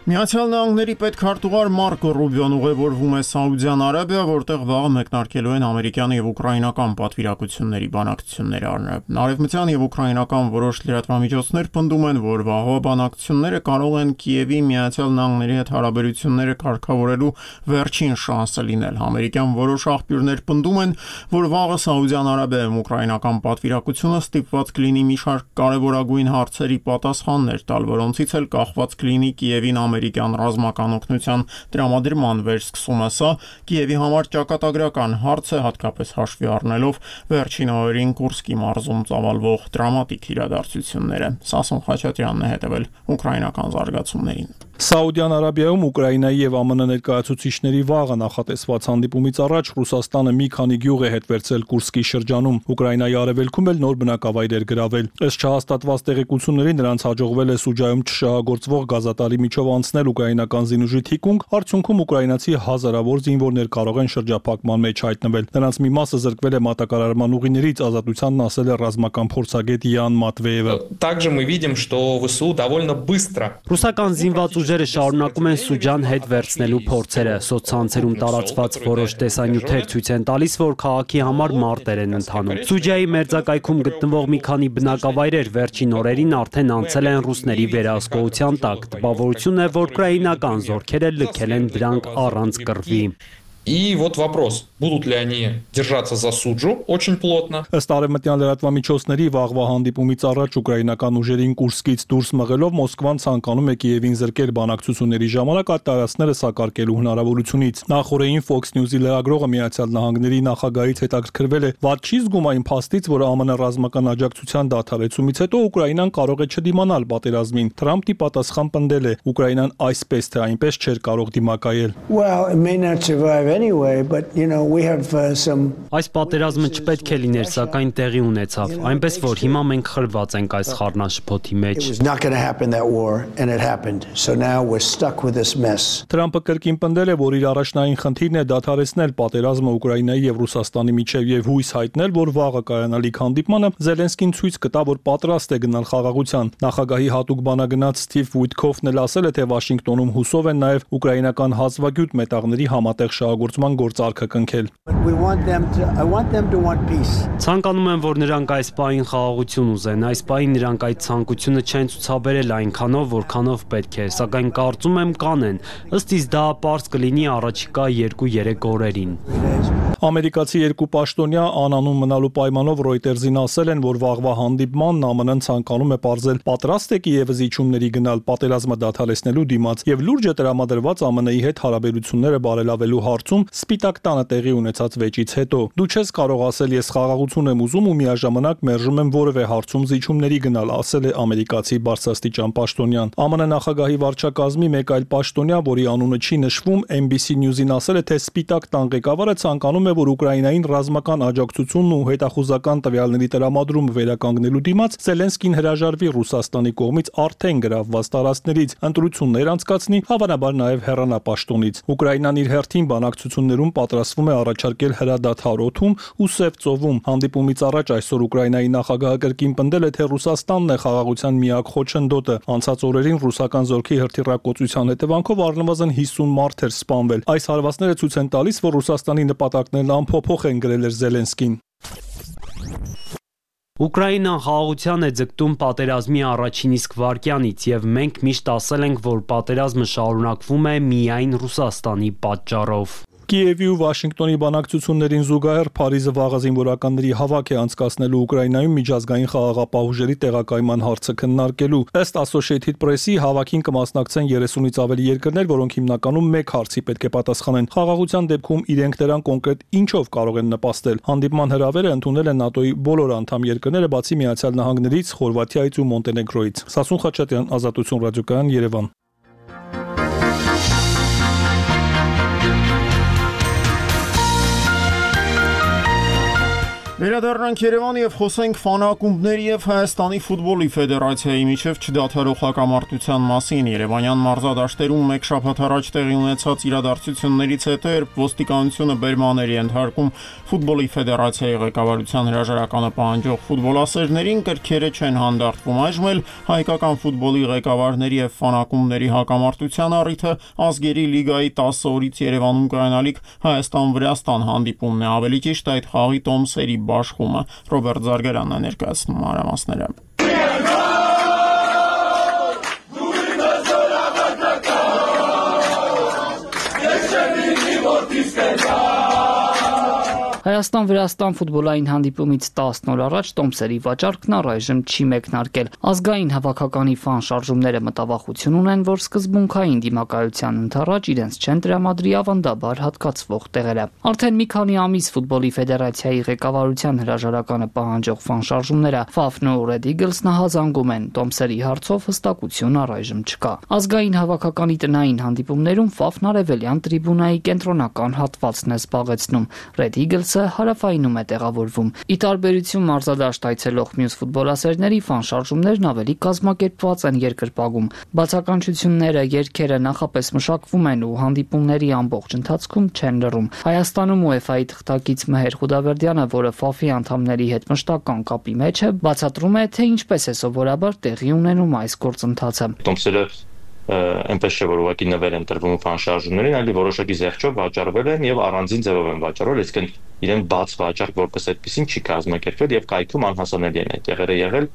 Միացյալ Նահանգների պետքարտուղար Մարկո Ռուբիոն ուղևորվում է Սաուդյան Արաբիա, որտեղ վաղը մեկնարկելու են ամերիկյան եւ ուկրաինական պատվիրակությունների բանակցությունները առնչվում։ Արևմտյան եւ ուկրաինական որոշ լրատվամիջոցներ պնդում են, որ վաղվա բանակցությունները կարող են Կիևի Միացյալ Նահանգների հետ հարաբերությունները կարգավորելու վերջին շանսը լինել։ Ամերիկյան որոշ աղբյուրներ պնդում են, որ վաղը Սաուդյան Արաբիայում ուկրաինական պատվիրակությունը ստիպված կլինի մի շարք կարևորագույն հարցերի պատասխաններ տալ, որոնցից էլ կախված կլինի Կիևին ամերիկյան ռազմական օգնության տրամադրման վերսկսումը։ Սա Կիևի համար ճակատագրական հարց է, հատկապես հաշվի առնելով վերջին օրերին Կուրսկի մարզում ծավալվող դրամատիկ իրադարձությունները։ Սասուն Խաչատրյանն է հետևել ուկրաինական զարգացումներին։ Սաուդյան Արաբիայում Ուկրաինայի եւ ԱՄՆ ներկայացուցիչների վաղը նախատեսված հանդիպումից առաջ Ռուսաստանը մի քանի գյուղ է հետ վերցել Կուրսկի շրջանում։ Ուկրաինայի արևելքում էլ նոր բնակավայրեր գրավել։ Ըստ չհաստատված տեղեկությունների նրանց հաջողվել է Սուջայում չշահագործվող գազատարի միջով անցնել ուկրաինական զինուժի թիկունք, արդյունքում ուկրաինացի հազարավոր զինվորներ կարող են շրջափակման մեջ հայտնվել։ Նրանց մի մասը զրկվել է մատակարարման ուղիներից, ազատությանն ասել է ռազմական փորձագետ Յան Մատվեևը։ Также мы видим, что ВСУ довольно быстро. Ռուսական զինված ուժերը շարունակում են Սուջան հետ վերցնելու փորձերը։ Սոցցանցերում տարածված որոշ տեսանյութեր ցույց են տալիս, որ քաղաքի համար մարտեր են ընթանում։ Սուջայի մերձակայքում գտնվող մի քանի բնակավայրեր վերջին օրերին արդեն անցել են ռուսների վերահսկողության տակ։ Տպավորություն է, որ ուկրաինական զորքերը լքել են դրանք առանց կռվի։ И вот вопрос, будут ли они держаться за Суджу очень плотно. Ըստ արևմտյան լրատվամիջոցների վաղվա հանդիպումից առաջ ուկրաինական ուժերին Կուրսկից դուրս մղելով Մոսկվան ցանկանում է Կիևին զրկել բանակցությունների ժամանակ այդ տարածքները սակարկելու հնարավորությունից։ Նախորդին Fox News-ի լրագրողը Միացյալ Նահանգների նախագահից հետաքրքրվել է, «Ված չի զգում այն փաստից, որ ԱՄՆ ռազմական աջակցության դադարեցումից հետո Ուկրաինան կարող է չդիմանալ պատերազմին»։ Թրամփի պատասխան պնդել է. «Ուկրաինան այսպես թե այնպես չէր կարող դիմակայել»։ Well, it may not survive anyway, but you know, we have uh, some Այս պատերազմը չպետք է լիներ, սակայն տեղի ունեցավ, այնպես որ հիմա մենք խրված ենք այս խառնաշփոթի մեջ։ It was not going to happen that war and it happened. So now we're stuck with this mess. Թրամփը կրկին պնդել է, որ իր առաջնային խնդիրն է դադարեցնել պատերազմը Ուկրաինայի եւ Ռուսաստանի միջեւ եւ հույս հայտնել, որ վաղը կայանալիք հանդիպմանը Զելենսկին ցույց կտա, որ պատրաստ է գնալ խաղաղության։ Նախագահի հատուկ բանագնաց Սթիվ Ուիթքոֆն էլ ասել է, թե Վաշինգտոնում հուսով են նաեւ ուկրաինական հազվագյուտ մետաղների համատեղ շահագործման գործարքը կնքել։ We want them to I want them to want peace. Ցանկանում եմ, որ նրանք այս պահին խաղաղություն ուզեն, այս պահին նրանք այդ ցանկությունը չեն ցուցաբերել այնքանով, որքանով պետք է, սակայն կարծում եմ կանեն, ըստ իս դա պարզ կլինի առաջիկա երկու-երեք օրերին։ Ամերիկացի երկու պաշտոնյա անանուն մնալու պայմանով Reuters-ին ասել են, որ վաղվա հանդիպմանն ԱՄՆ-ն ցանկանում է պարզել պատրաստ է Կիևի իջումների գնալ պատերազմը դադարեցնելու դիմաց եւ լուրջ է տրամադրված ԱՄՆ-ի հետ հարաբերությունները բարելավելու հարցում Սպիտակ տանը տեղի ունեցած վեճից հետո։ Դու չես կարող ասել ես խաղաղություն եմ ուզում ու միաժամանակ մերժում եմ որևէ հարցում զիջումների գնալ, ասել է ամերիկացի բարձրաստիճան պաշտոնյան։ ԱՄՆ նախագահի վարչակազմի մեկ այլ պաշտոնյա, որի անունը չի նշվում, N B C News-ին ասել է, թե Սպիտակ տան ղեկավարը ցանկանում է, որ Ուկրաինային ռազմական աջակցությունն ու հետախուզական տվյալների տրամադրումը վերականգնելու դիմաց Զելենսկին հրաժարվի Ռուսաստանի կողմից արդեն գրավված տարածքներից, ընտրություններ անցկացնի, հավանաբար նաև հեռանա պաշտոնից։ Ուկրաինան իր հերթին բանակցություններում պատրաստվում է առաջարկել հրադադար օդում ու Սև ծովում։ Հանդիպումից առաջ այսօր Ուկրաինայի նախագահը կրկին պնդել է, թե Ռուսաստանն է խաղաղության միակ խոչընդոտը։ Անցած օրերին ռուսական զորքի հրթիռակոծության հետևանքով առնվազն հիսուն մարդ էր սպանվել։ Այս հարվածները ցույց են տալիս, որ Ռուսաստանի նպատակներն անփոփոխ են գրել էր Զելենսկին։ Ուկրաինան խաղաղության է ձգտում պատերազմի առաջին իսկ վայրկյանից եւ մենք միշտ ասել ենք, որ պատերազմը շարունակվում է միայն Ռուսաստանի պատճառով։ Կիևի ու Վաշինգտոնի բանակցություններին զուգահեռ Փարիզը վաղը զինվորականների հավաք է անցկացնելու Ուկրաինայում միջազգային խաղաղապահ ուժերի տեղակայման հարցը քննարկելու։ Ըստ Associated Press-ի հավաքին կմասնակցեն երեսունից ավելի երկրներ, որոնք հիմնականում մեկ հարցի պետք է պատասխանեն։ Խաղաղության դեպքում իրենք դրան կոնկրետ ինչով կարող են նպաստել։ Հանդիպման հրավերը ընդունել են ՆԱՏՕ-ի բոլոր անդամ երկրները, բացի Միացյալ Նահանգներից, Խորվաթիայից ու Մոնտենեգրոյից։ Սասուն Խաչատրյան, Ազատություն ռադիոկայան, Երևան։ Վերադառնանք Երևան եւ խոսենք ֆանակումբների եւ Հայաստանի ֆուտբոլի ֆեդերացիայի միջև չդադարող հակամարտության մասին։ Երևանյան մարզադաշտերում մեկ շաբաթ առաջ տեղի ունեցած իրադարձություններից հետո, երբ ոստիկանությունը բերմաների ենթարկում ֆուտբոլի ֆեդերացիայի ղեկավարության հրաժարականը պահանջող ֆուտբոլասերներին, կրքերը չեն հանդարտվում։ Այժմ էլ հայկական ֆուտբոլի ղեկավարների եւ ֆանակումբների հակամարտության առիթը ազգերի լիգայի տասը օրից Երևանում կայանալիք Հայաստան-Վրաստան հանդիպումն է։ Ավելի ճիշտ այդ խաղի տոմսերի Բաշխումը Ռոբերտ Զարգարանն է ներկայացնում մանրամասները։ Հայաստան-Վրաստան ֆուտբոլային հանդիպումից տասն օր առաջ տոմսերի վաճառքն առայժմ չի մեկնարկել։ Ազգային հավաքականի ֆան շարժումները մտավախություն ունեն, որ սկզբունքային դիմակայության ընդառաջ իրենց չեն տրամադրի ավանդաբար հատկացվող տեղերը։ Արդեն մի քանի ամիս ֆուտբոլի ֆեդերացիայի ղեկավարության հրաժարականը պահանջող ֆան շարժումները Ֆաֆն ու Red Eagles-ն հազանգում են, տոմսերի հարցով հստակություն առայժմ չկա։ Ազգային հավաքականի տնային հանդիպումներում Ֆաֆն արևելյան տրիբունայի կենտրոնական հատվածն է զբաղեցնում, Red Eagles-ը հարավայնում է տեղավորվում։ Ի տարբերություն մարզադաշտ այցելող մյուս ֆուտբոլասերների ֆան շարժումներն ավելի կազմակերպված են երկրպագում։ Բացականչությունները, երգերը նախապես մշակվում են ու հանդիպումների ամբողջ ընթացքում չեն լռում։ Հայաստանում UEFA-ի թղթակից Մհեր Խուդավերդյանը, որը Ֆաֆի անդամների հետ մշտական կապի մեջ է, բացատրում է, թե ինչպես է սովորաբար տեղի ունենում այս գործընթացը։ Տոմսերը այնպես չէ, որ ուղղակի նվեր են տրվում ֆան շարժումներին, այլ որոշակի զեղչով վաճառվել են եւ առանձին ձևով են վաճառվել, այսինքն իրեն բաց վաճառք որպես այդպեսին չի կազմակերպվել եւ կայքում անհասանելի են այդ տեղերը եղել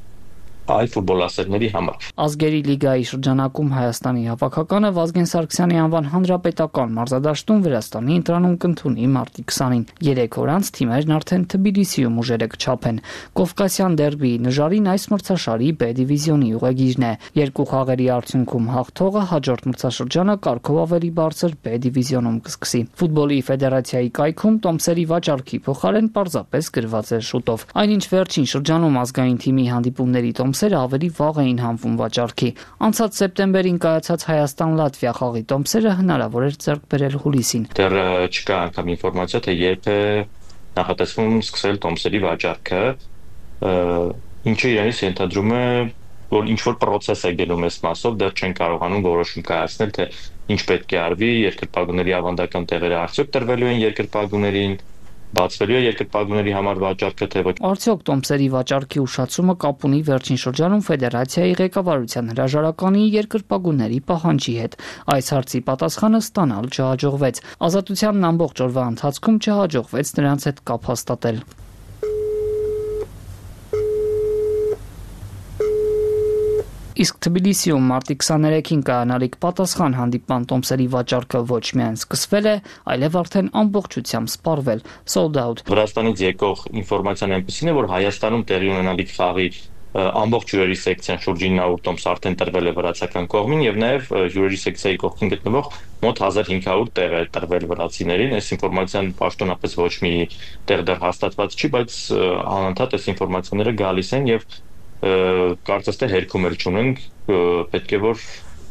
այլ ֆուտբոլասերների համար։ Ազգերի լիգայի շրջանակում Հայաստանի հավաքականը Վազգեն Սարգսյանի անվան հանրապետական մարզադաշտում Վրաստանի ընտրանում կընդունի մարտի քսանին։ Երեք օր անց թիմերն արդեն Թբիլիսիում ուժերը կչափեն։ Կովկասյան դերբիի նժարին այս մրցաշարի B դիվիզիոնի ուղեգիրն է։ Երկու խաղերի արդյունքում հաղթողը հաջորդ մրցաշրջանը կարգով ավելի բարձր B դիվիզիոնում կսկսի։ Ֆուտբոլի ֆեդերացիայի կայքում տոմսերի վաճառքի փոխարեն պարզապես գրված է շուտով։ Այնինչ վերջին շրջանում ազգային թիմի հանդիպումների տոմս տոմսերը ավելի վաղ էին հանվում վաճառքի։ Անցած սեպտեմբերին կայացած Հայաստան-Լատվիա խաղի տոմսերը հնարավոր էր ձեռք բերել հուլիսին։ Դեռ չկա անգամ ինֆորմացիա, թե երբ է նախատեսվում սկսել տոմսերի վաճառքը, ինչը իրենից ենթադրում է, որ ինչ-որ process է գնում այս մասով, դեռ չեն կարողանում որոշում կայացնել, թե ինչ պետք է արվի, երկրպագուների ավանդական տեղերը արդյոք տրվելու են երկրպագուներին, բացվելու է երկրպագուների համար վաճառքը, թե ոչ։ Արդյոք տոմսերի վաճառքի ուշացումը կապ ունի վերջին շրջանում ֆեդերացիայի ղեկավարության հրաժարականի երկրպագուների պահանջի հետ։ Այս հարցի պատասխանը ստանալ չհաջողվեց։ Ազատությանն ամբողջ օրվա ընթացքում չհաջողվեց նրանց հետ կապ հաստատել։ Իսկ Թբիլիսիում մարտի քսաներեքին կայանալիք պատասխան հանդիպման տոմսերի վաճառքը ոչ միայն սկսվել է, այլև արդեն ամբողջությամբ սպառվել, sold out։ Վրաստանից եկող ինֆորմացիան այնպեսին է, որ Հայաստանում տեղի ունենալիք խաղի ամբողջ հյուրերի սեկցիան շուրջ ինը ութ տոմս արդեն տրվել է վրացական կողմին եւ նաեւ հյուրերի սեկցիայի կողքին գտնվող մոտ հազար հինգ հարյուր տեղ է տրվել վրացիներին։ Այս ինֆորմացիան պաշտոնապես ոչ մի տեղ դեռ հաստատված չի, բայց անընդհատ այս ինֆորմացիաները գալիս են եւ կարծես թե հերքում էլ չունենք, պետք է որ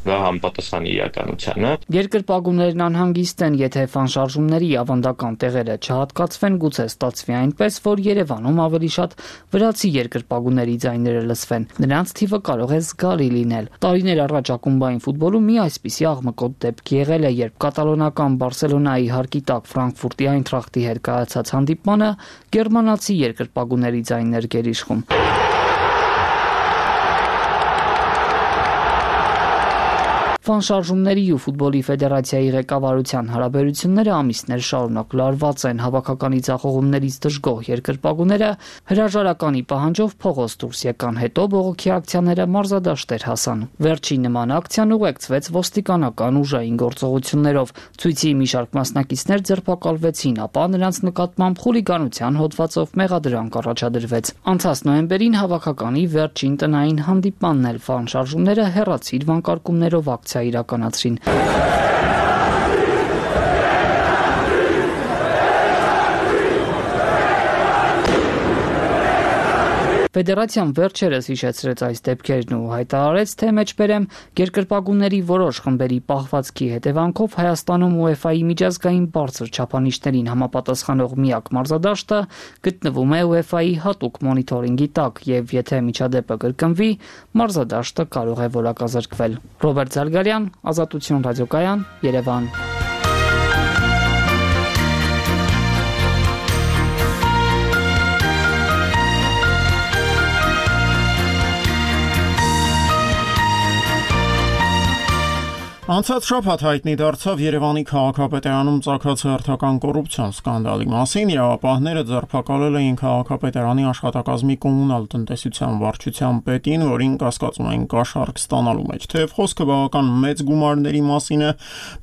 դա համապատասխանի իրականությանը։ Երկրպագուներն անհանգիստ են, եթե ֆանշարժումների ավանդական տեղերը չհատկացվեն, գուցե ստացվի այնպես, որ Երևանում ավելի շատ վրացի երկրպագուների ձայները լսվեն։ Նրանց թիվը կարող է զգալի լինել։ Տարիներ առաջ ակումբային ֆուտբոլում մի այսպիսի աղմկոտ դեպք եղել է, երբ կատալոնական Բարսելոնայի հարկի տակ Ֆրանկֆուրտի Այնտրախտի հետ կայացած հանդիպմանը գերմանացի երկրպագուների ձայներ գերիշխում։ Ֆանշարժումների ու ֆուտբոլի ֆեդերացիայի ղեկավարության հարաբերությունները ամիսներ շարունակ լարված են, հավաքականի ձախողումներից դժգոհ երկրպագուները հրաժարականի պահանջով փողոց դուրս եկան, հետո բողոքի ակցիաները մարզադաշտեր հասան։ Վերջին նման ակցիան ուղեկցվեց ոստիկանական ուժային գործողություններով, ցույցի մի շարք մասնակիցներ ձերբակալվեցին, ապա նրանց նկատմամբ խուլիգանության հոդվածով մեղադրանք առաջադրվեց։ Անցած նոյեմբերին հավաքականի վերջին տնային հանդիպմանն էլ ֆանշարժումները հեռացիր վանկարկումներով ակցիա իրականացրին։ Ֆեդերացիան վերջերս հիշեցրեց այս դեպքերն ու հայտարարեց, թե մեջբերեմ երկրպագուների որոշ խմբերի պահվածքի հետևանքով Հայաստանում ՈՒԵՖԱ-ի միջազգային բարձր չափանիշներին համապատասխանող միակ մարզադաշտը գտնվում է ՈՒԵՖԱ-ի հատուկ մոնիթորինգի տակ եւ եթե միջադեպը կրկնվի, մարզադաշտը կարող է որակազրկվել։ Ռոբերտ Զարգարյան, Ազատություն ռադիոկայան, Երևան։ Անցած շաբաթ հայտնի դարձավ Երևանի քաղաքապետարանում ծագած հերթական կոռուպցիոն սկանդալի մասին։ Իրավապահները ձերբակալել էին քաղաքապետարանի աշխատակազմի կոմունալ տնտեսության վարչության պետին, որին կասկածում են կաշառք ստանալու մեջ։ Թեև խոսքը բավական մեծ գումարների մասին է,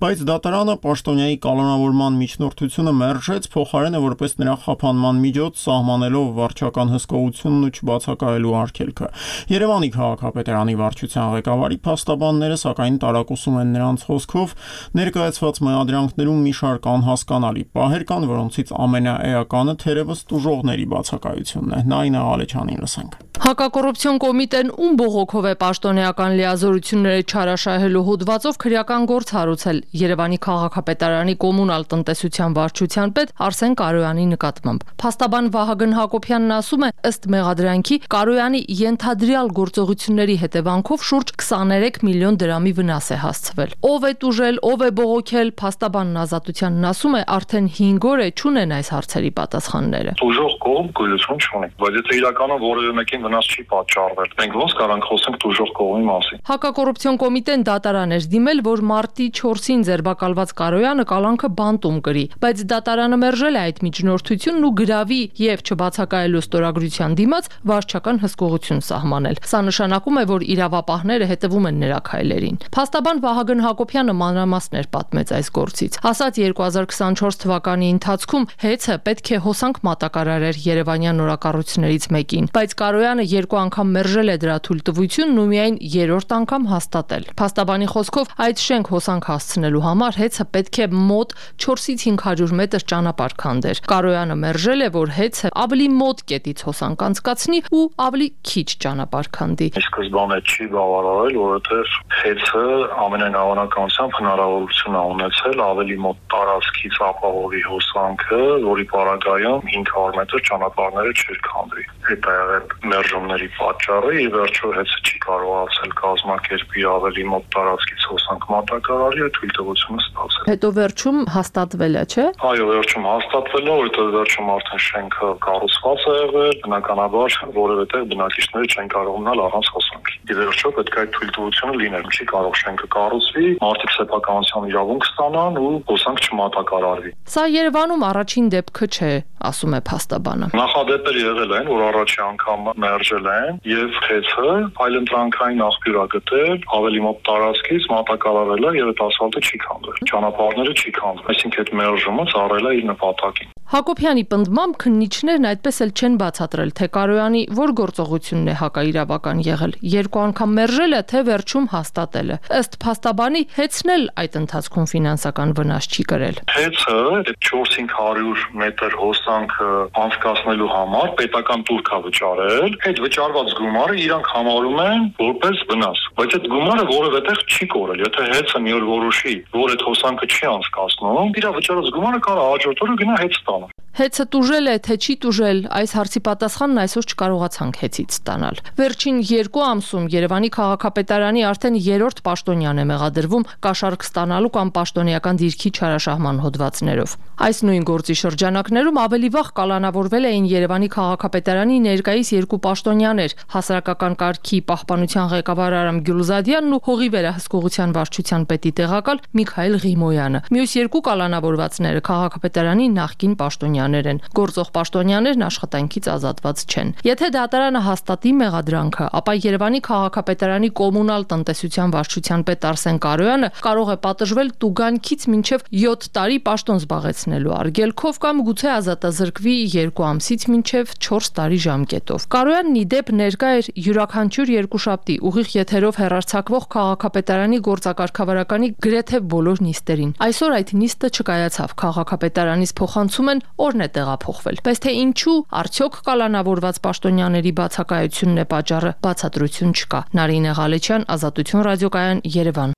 բայց դատարանը պաշտոնյայի կալանավորման միջնորդությունը մերժեց, փոխարենը որպես նրա խափանման միջոց սահմանելով վարչական հսկողությունն ու չբացակայելու արգելքը։ Երևանի քաղաքապետարանի վարչության ղեկավարի փաստաբանները սակայն տարակուսում են նրանց խոսքով ներկայացված մեղադրանքներում մի շարք անհասկանալի պահեր կան, որոնցից ամենաէականը թերևս տուժողների բացակայությունն է։ Նայինա Ալեչյանին լսենք։ Հակակոռուպցիոն կոմիտեն ում բողոքով է պաշտոնեական լիազորությունները չարաշահելու հոդվածով քրեական գործ հարուցել Երևանի քաղաքապետարանի կոմունալ տնտեսության վարչության պետ Արսեն Կարոյանի նկատմամբ։ Փաստաբան Վահագն Հակոբյանն ասում է, ըստ մեղադրանքի Կարոյանի ենթադրյալ գործողությունների հետևանքով շուրջ քսաներեք միլիոն դրամի վնաս է հասցվել։ Ով է տուժել, ով է բողոքել, փաստաբանն Ազատությանն ասում է, արդեն հինգ օր է չունեն այս հարցերի պատասխանները։ Տուժող կողմ գոյություն չունի, բայց եթե իրականում որևէ մեկին վնաս չի պատճառվել, մենք ոնց կարանք խոսենք տուժող կողմի մասին։ Հակակոռուպցիոն կոմիտեն դատարան էր դիմել, որ մարտի չորսին ձերբակալված Կարոյանը կալանքը բանտում կրի, բայց դատարանը մերժել է այդ միջնորդությունն ու գրավի եւ չբացակայելու ստորագրության դիմաց վարչական հսկողություն սահմանել։ Սա նշանակում է, որ իրավապահները հետևում են նրա քայլերին։ Փաստաբան Վահագն Հակոբյանը մանրամասներ պատմեց այս գործից։ Ասաց երկու հազար քսանչորս թվականի ընթացքում հեծը պետք է հոսանք մատակարարեր Երևանյան նորակառույցներից մեկին, բայց Կարոյանը Երևանը երկու անգամ մերժել է դրա թույլտվությունն ու միայն երրորդ անգամ հաստատել։ Փաստաբանի խոսքով այդ շենք հոսանք հասցնելու համար հեծը պետք է մոտ չորսից հինգ հարյուր մետր ճանապարհ քանդեր։ Կարոյանը մերժել է, որ հեծը ավելի մոտ կետից հոսանք անցկացնի ու ավելի քիչ ճանապարհ քանդի։ Սկզբանե չի բավարարել, որովհետև հեծը ամենայն հավանականությամբ հնարավորություն է ունեցել ավելի մոտ տարածքից ապահովի հոսանքը, որի պարագայում հինգ հարյուր մետր ճանապարհները չէր քանդվի։ Այդ է եղել մերժումների պատճառը, ի վերջո հեծը չի կարողացել կազմակերպի ավելի մոտ տարածքից հոսանք մատակարարի, այդ թույլտվությունը ստացել։ Հետո վերջում հաստատվել է, չէ՞։ Այո, վերջում հաստատվել է, որովհետև վերջում արդեն շենքը կառուցված է եղել, բնականաբար որևէ տեղ բնակիչները չեն կարող մնալ առանց հոսանքի։ Ի վերջո պետք է այդ թույլտվությունը լինել, չի կարող շենքը կառուցվի, մարդիկ սեփականության իրավունք ստանան ու հոսանք չմատակարարվի։ Սա Երևանում առաջին դեպքը չէ, ասում է փաստաբանը։ Նախադեպեր եղել են, որ առաջի անգամ մերժել են եւ հեծը այլընտրանքային աղբյուր է գտել, ավելի մոտ տարածքից մատակարարել է եւ այդ ասֆալտը չի քանդվել։ Ճանապարհները չի քանդվել, այսինքն այդ մերժումը ծառայել է իր նպատակին։ Հակոբյանի պնդմամբ քննիչներն այդպես էլ չեն բացատրել, թե Կարոյանի որ գործողությունն է հակաիրավական եղել։ Երկու անգամ մերժել է, թե վերջում հաստատել է։ Ըստ փաստաբանի հեծն էլ այդ ընթացքում ֆինանսական վնաս չի կրել։ Հեծը այդ չորս-հինգ հարյուր մետր հոսանքը անցկացնելու համար պետական տուրք է վճարել։ Այդ վճարված գումարը իրանք համարում են որպես վնաս, բայց այդ գումարը որևէ տեղ չի կորել։ Եթե հեծը մի օր որոշի, որ այդ հոսանքը չի անցկացնում, իր վճարած գումարը կարող է հաջորդ օրը գնա հեծ տան։ Հեծը տուժել է, թե չի տուժել, այս հարցի պատասխանն այսօր չկարողացանք հեծից ստանալ։ Վերջին երկու ամսում Երևանի քաղաքապետարանի արդեն երրորդ պաշտոնյան է մեղադրվում կաշառք ստանալու կամ պաշտոնեական դիրքի չարաշահման հոդվածներով։ Այս նույն գործի շրջանակներում ավելի վաղ կալանավորվել էին Երևանի քաղաքապետարանի ներկայիս երկու պաշտոնյաներ՝ հասարակական կարգի պահպանության ղեկավար Արամ Գյուլզադյանն ու հողի վերահսկողության վարչության պետի տեղակալ Միքայել Ղիմոյանը։ Մյուս երկու կալանավորվածները քաղաքապետարանի նախկին պաշտոնյաներ են։ Գործող պաշտոնյաներն աշխատանքից ազատված չեն։ Եթե դատարանը հաստատի մեղադրանքը, ապա Երևանի քաղաքապետարանի կոմունալ տնտեսության վարչության պետ Արսեն Կարոյանը կարող է պատժվել տուգանքից մինչև յոթ տարի պաշտոն զբաղեցնելու արգելքով կամ գուցե ազատազրկվի երկու ամսից մինչև չորս տարի ժամկետով։ Կարոյանն ի դեպ ներկա էր յուրաքանչյուր երկուշաբթի ուղիղ եթերով հեռարձակվող քաղաքապետարանի գործակարգավարականի գրեթե բոլոր նիստերին։ Այսօր այդ նիստը չկայացավ, քաղաքապետարանից փոխանցում են օրն է տեղափոխվել։ Բայց թե ինչու, արդյոք կալանավորված պաշտոնյաների բացակայությունն է պատճառը, բացատրություն չկա։ Նարինե Ղալեչյան, Ազատություն ռադիոկայան, Երևան։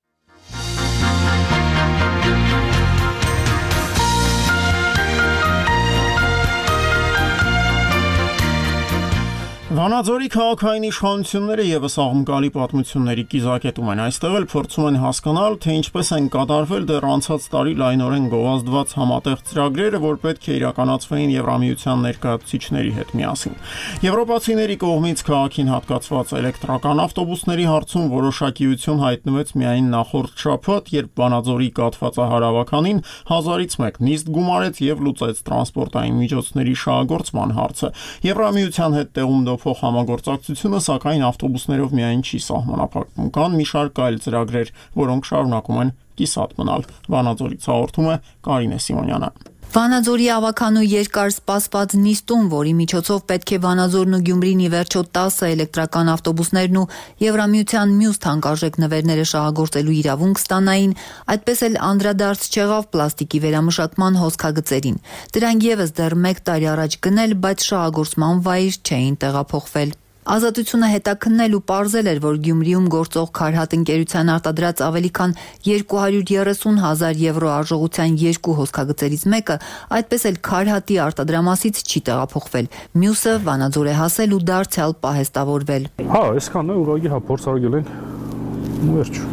Վանաձորի քաղաքային իշխանությունները եւս աղմկալի պատմությունների կիզակետում են։ Այստեղ էլ փորձում են հասկանալ, թե ինչպես են կատարվել դեռ անցած տարի լայնորեն գովազդված համատեղ ծրագրերը, որ պետք է իրականացվեին Եվրամիության ներկայացուցիչների հետ միասին։ Եվրոպացիների կողմից քաղաքին հատկացված էլեկտրական ավտոբուսների հարցում որոշակիություն հայտնվեց միայն նախորդ շաբաթ, երբ Վանաձորի կաթվածահարավականին հազարից մեկ նիստ գումարեց եւ լուծեց տրանսպորտային միջոցների շահագործման հարցը։ Եվրամիության հետ տեղում փոխ համագործակցությունը սակայն ավտոբուսներով միայն չի սահմանափակվում, կան մի շարք այլ ծրագրեր, որոնք շարունակում են կիսատ մնալ։ Վանաձորից հաղորդում է Կարինե Սիմոնյանը։ Վանաձորի ավագանու երկար սպասված նիստում, որի միջոցով պետք է Վանաձորն ու Գյումրին ի վերջո տասը էլեկտրական ավտոբուսներն ու Եվրամիության մյուս թանկարժեք նվերները շահագործելու իրավունք ստանային, այդպես էլ անդրադարձ չեղավ պլաստիկի վերամշակման հոսքագծերին։ Դրանք եւս դեռ մեկ տարի առաջ գնել, բայց շահագործման վայր չէին տեղափոխվել։ Ազատությունը հետաքննել ու պարզել էր, որ Գյումրիում գործող Քարհատ ընկերության արտադրած ավելի քան երկու հարյուր երեսուն հազար եվրո արժողության երկու հոսքագծերից մեկը այդպես էլ Քարհատի արտադրամասից չի տեղափոխվել։ Մյուսը Վանաձոր է հասել ու դարձյալ պահեստավորվել։ Հա, այսքանն է, ուղղակի հա փորձարկել ենք։ Ու վերջ։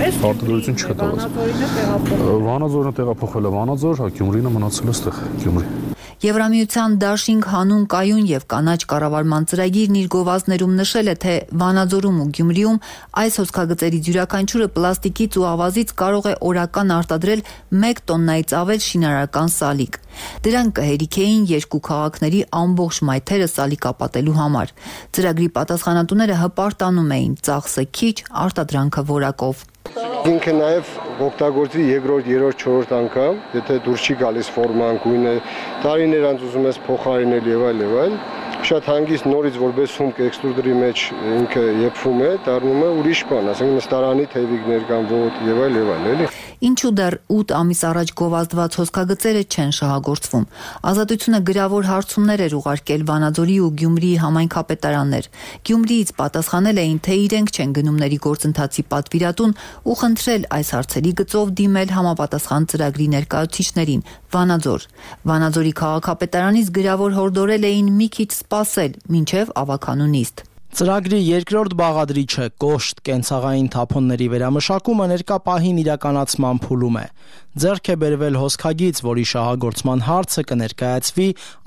Արտադրություն չկա տեղափոխվել։ Վանաձորն է տեղափոխվել է Վանաձոր, հա Գյումրինը մնացել է այստեղ Գյումրի։ Եվրամիության դաշինք հանուն կայուն եւ կանաչ կառավարման ծրագիրն իր գովազդներում նշել է, թե Վանաձորում ու Գյումրիում այս հոսքագծերից յուրաքանչյուրը պլաստիկից ու ավազից կարող է օրական արտադրել մեկ տոննայից ավել շինարարական սալիկ։ Դրանք կհերիքեին երկու քաղաքների ամբողջ մայթերը սալիկապատելու համար։ Ծրագրի պատասխանատուները հպարտանում էին՝ ծախսը քիչ, արտադրանքը որակով։ Ինքը նաև օգտագործի երկրորդ, երրորդ, չորրորդ անգամ, եթե դուրս չի գալիս ֆորման, գույնը, տարիներ անց ուզում ես փոխարինել եւ այլ եւ այլ, շատ հանգիստ նորից որպես հումք էքստրուդերի մեջ ինքը եփվում է, դառնում է ուրիշ բան, ասենք նստարանի թևիկներ կամ ոտ եւ այլ եւ այլ, էլի։ Ինչու դեռ ութ ամիս առաջ գովազդված հոսքագծերը չեն շահագործվում։ Ազատությունը գրավոր հարցումներ էր ուղարկել Վանաձորի ու Գյումրիի համայնքապետարաններ։ Գյումրիից պատասխանել էին, թե իրենք չեն գնումների գործընթացի պատվիրատուն ու խնդրել այս հարցերի գծով դիմել համապատասխան ծրագրի ներկայացուցիչներին։ Վանաձոր Վանաձորի քաղաքապետարանից գրավոր հորդորել էին մի քիչ սպասել, մինչև ավականու նիստ։ Ծրագրի երկրորդ բաղադրիչը կոշտ կենցաղային թափոնների վերամշակումը ներկա պահին իրականացման փուլում է։ Ձեռք է բերվել հոսքագիծ, որի շահագործման հարցը կներկայացվի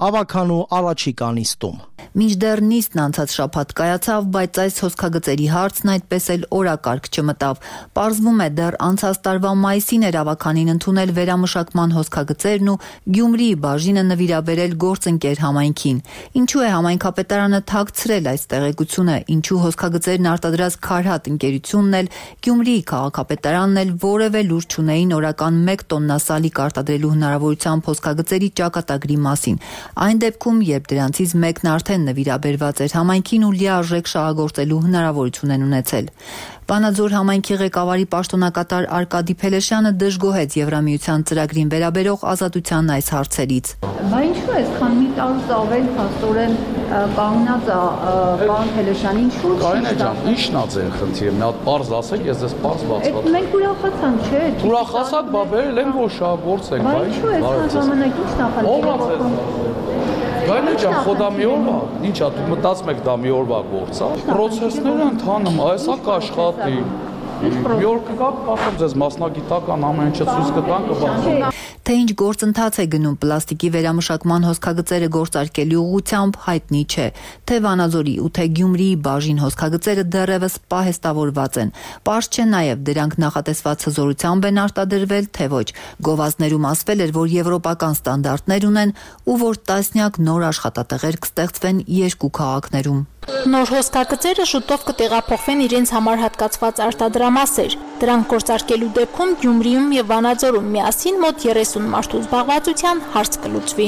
ավականու առաջիկա նիստում։ Մինչդեռ նիստն անցած շաբաթ կայացավ, բայց այս հոսքագծերի հարցն այդպես էլ օրակարգ չմտավ։ Պարզվում է, դեռ անցած տարվա մայիսին էր ավականին ընդունել վերամշակման հոսքագծերն ու Գյումրիի բաժինը նվիրաբերել գործընկեր համայնքին։ Ինչու է համայնքապետարանը թաքցրել այս տեղեկությունը, ինչու հոսքագծերն արտադրած Քարհատ ընկերությունն էլ, Գյումրիի քաղաքապետարանն էլ որևէ լուր չունեին օրական մեկ տոննա սալիկ արտադրելու հնարավորությամբ հոսքագծերի ճակատագրի մասին։ Այն դեպքում, երբ դրանցից մեկն արդեն նվիրաբերված էր համայնքին ու լիարժեք շահագործելու հնարավորություն են ունեցել։ Վանաձոր համայնքի ղեկավարի պաշտոնակատար Արկադի Փելեշյանը դժգոհեց Եվրամիության ծրագրին վերաբերող Ազատության այս հարցերից։ Բա ինչու է, քան մի տարուց ավել փաստորեն կանգնած է պարոն Փելեշյանին, ինչու՞ Կարինե ջան, ի՞նչն է ձեր խնդիրը։ Մի հատ պարզ ասեք, ես ձեզ պարզ բացված։ Մենք ուրախացանք, չէ՞։ Ուրախացած, բա բերել են որ շահագործենք, բայց ինչու է, քան ժամանակ ի՞նչ նախանցել։ Գայնե ջան, խոդա մի օրվա, ինչա, դու մտածում եք դա մի օրվա գործ է։ Պրոցեսները ընթանում, այսա կաշխատի։ Մի օր կգաք, կապեմ ձեզ մասնագիտական ամեն ինչը ցույց կտան, կբացեն։ Թե ինչ գործընթաց է գնում պլաստիկի վերամշակման հոսքագծերը գործարկելու ուղղությամբ հայտնի չէ, թե Վանաձորի ու թե Գյումրիի բաժին հոսքագծերը դեռևս պահեստավորված են։ Պարզ չէ նաև դրանք նախատեսված հզորությամբ են արտադրվել, թե ոչ։ Գովազդներում ասվել էր, որ եվրոպական ստանդարտներ ունեն ու որ տասնյակ նոր աշխատատեղեր կստեղծվեն երկու քաղաքներում։ Նոր հոսքագծերը շուտով կտեղափոխվեն իրենց համար հատկացված արտադրամասեր։ Դրանք գործարկելու դեպքում Գյումրիում եւ Վանաձորում միասին մոտ երեսուն մարդու զբաղվածության հարց կլուծվի։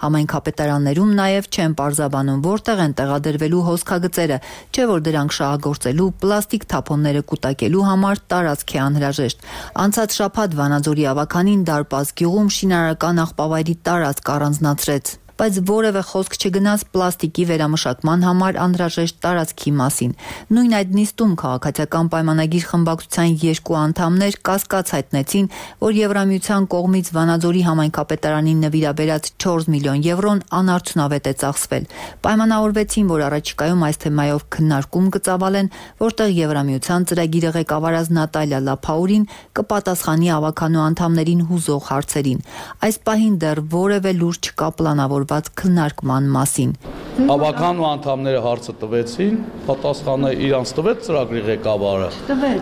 Համայնքապետարաններում նաև չեն պարզաբանում, որտեղ են տեղադրվելու հոսքագծերը, չէ որ դրանք շահագործելու, պլաստիկ թափոնները կուտակելու համար տարածք է անհրաժեշտ։ Անցած շաբաթ Վանաձորի ավականին Դարպաս գյուղում շինարարական աղբավայրի տարածք առանձնացրեց, բայց որևէ խոսք չգնաց պլաստիկի վերամշակման համար անհրաժեշտ տարածքի մասին։ Նույն այդ նիստում քաղաքացիական պայմանագիր խմբակցության երկու անդամներ կասկած հայտնեցին, որ Եվրամիության կողմից Վանաձորի համայնքապետարանին նվիրաբերած չորս միլիոն եվրոն անարդյունավետ է ծախսվել։ Պայմանավորվեցին, որ առաջիկայում այս թեմայով քննարկում կծավալեն, որտեղ Եվրամիության ծրագիրը ղեկավարած Նատալիա Լափաուրին կպատասխանի ավականու անդամներին հուզող հարցերին։ Այս պահին դեռ որևէ լուր չկա պլանավոր քննարկման մասին։ Ավականու անդամները հարցը տվեցին, պատասխանը իրանց տվեց ծրագրի ղեկավարը։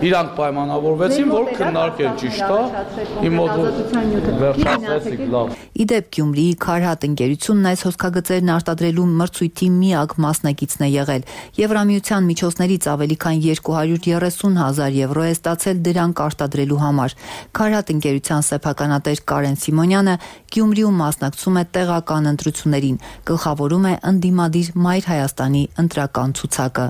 Իրանք պայմանավորվեցին, որ քննարկեն, ճիշտ է։ Իմ մոտ վերջացրեցիք, լավ։ Իդեպ Գյումրիի Քարհատ ընկերությունն այս հոսքագծերն արտադրելու մրցույթի միակ մասնակիցն է եղել։ Եվրամիության միջոցներից ավելի քան երկու հարյուր երեսուն հազար եվրո է ստացել դրանք արտադրելու համար։ Քարհատ ընկերության սեփականատեր Կարեն Սիմոնյանը Գյումրիում մասնակցում է տեղական ընտրություններին, գլխավորում է ընդդիմադիր Մայր Հայաստանի ընտրական ցուցակը։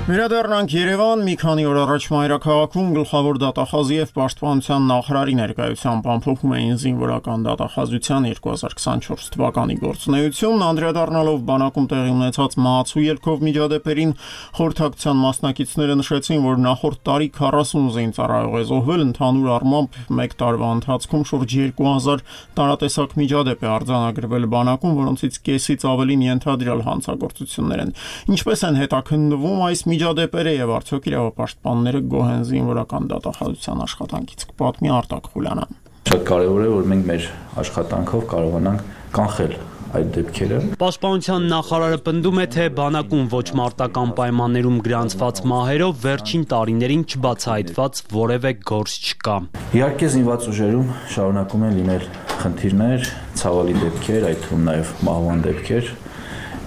Վերադառնանք Երևան, մի քանի օր առաջ մայրաքաղաքում գլխավոր դատախազի եւ պաշտպանության նախարարի ներկայությամբ ամփոփում էին զինվորական դատախազության երկու հազար քսանչորս թվականի գործունեությունն, անդրադառնալով բանակում տեղի ունեցած մահացու ելքով միջադեպերին, խորհրդակցության մասնակիցները նշեցին, որ նախորդ տարի քառասուն զինծառայող է զոհվել, ընդհանուր առմամբ մեկ տարվա ընթացքում շուրջ երկու հազար տարատեսակ միջադեպ է արձանագրվել բանակում, որոնցից կեսից ավելին ենթադրյալ հանցագործություններ են։ Ինչպես են հետաքննվում այս միջադեպերը եւ արդյոք իրավապաշտպանները գոհ են զինվորական դատախազության աշխատանքից, կպատմի Արտակ Խուլյանը։ Շատ կարևոր է, որ մենք մեր աշխատանքով կարողանանք կանխել այդ դեպքերը։ Պաշտպանության նախարարը պնդում է, թե բանակում ոչ մարտական պայմաններում գրանցված մահերով վերջին տարիներին չբացահայտված որևէ գործ չկա։ Իհարկե զինված ուժերում շարունակում են լինել խնդիրներ, ցավալի դեպքեր, այդ թվում նաև մահվան դեպքեր,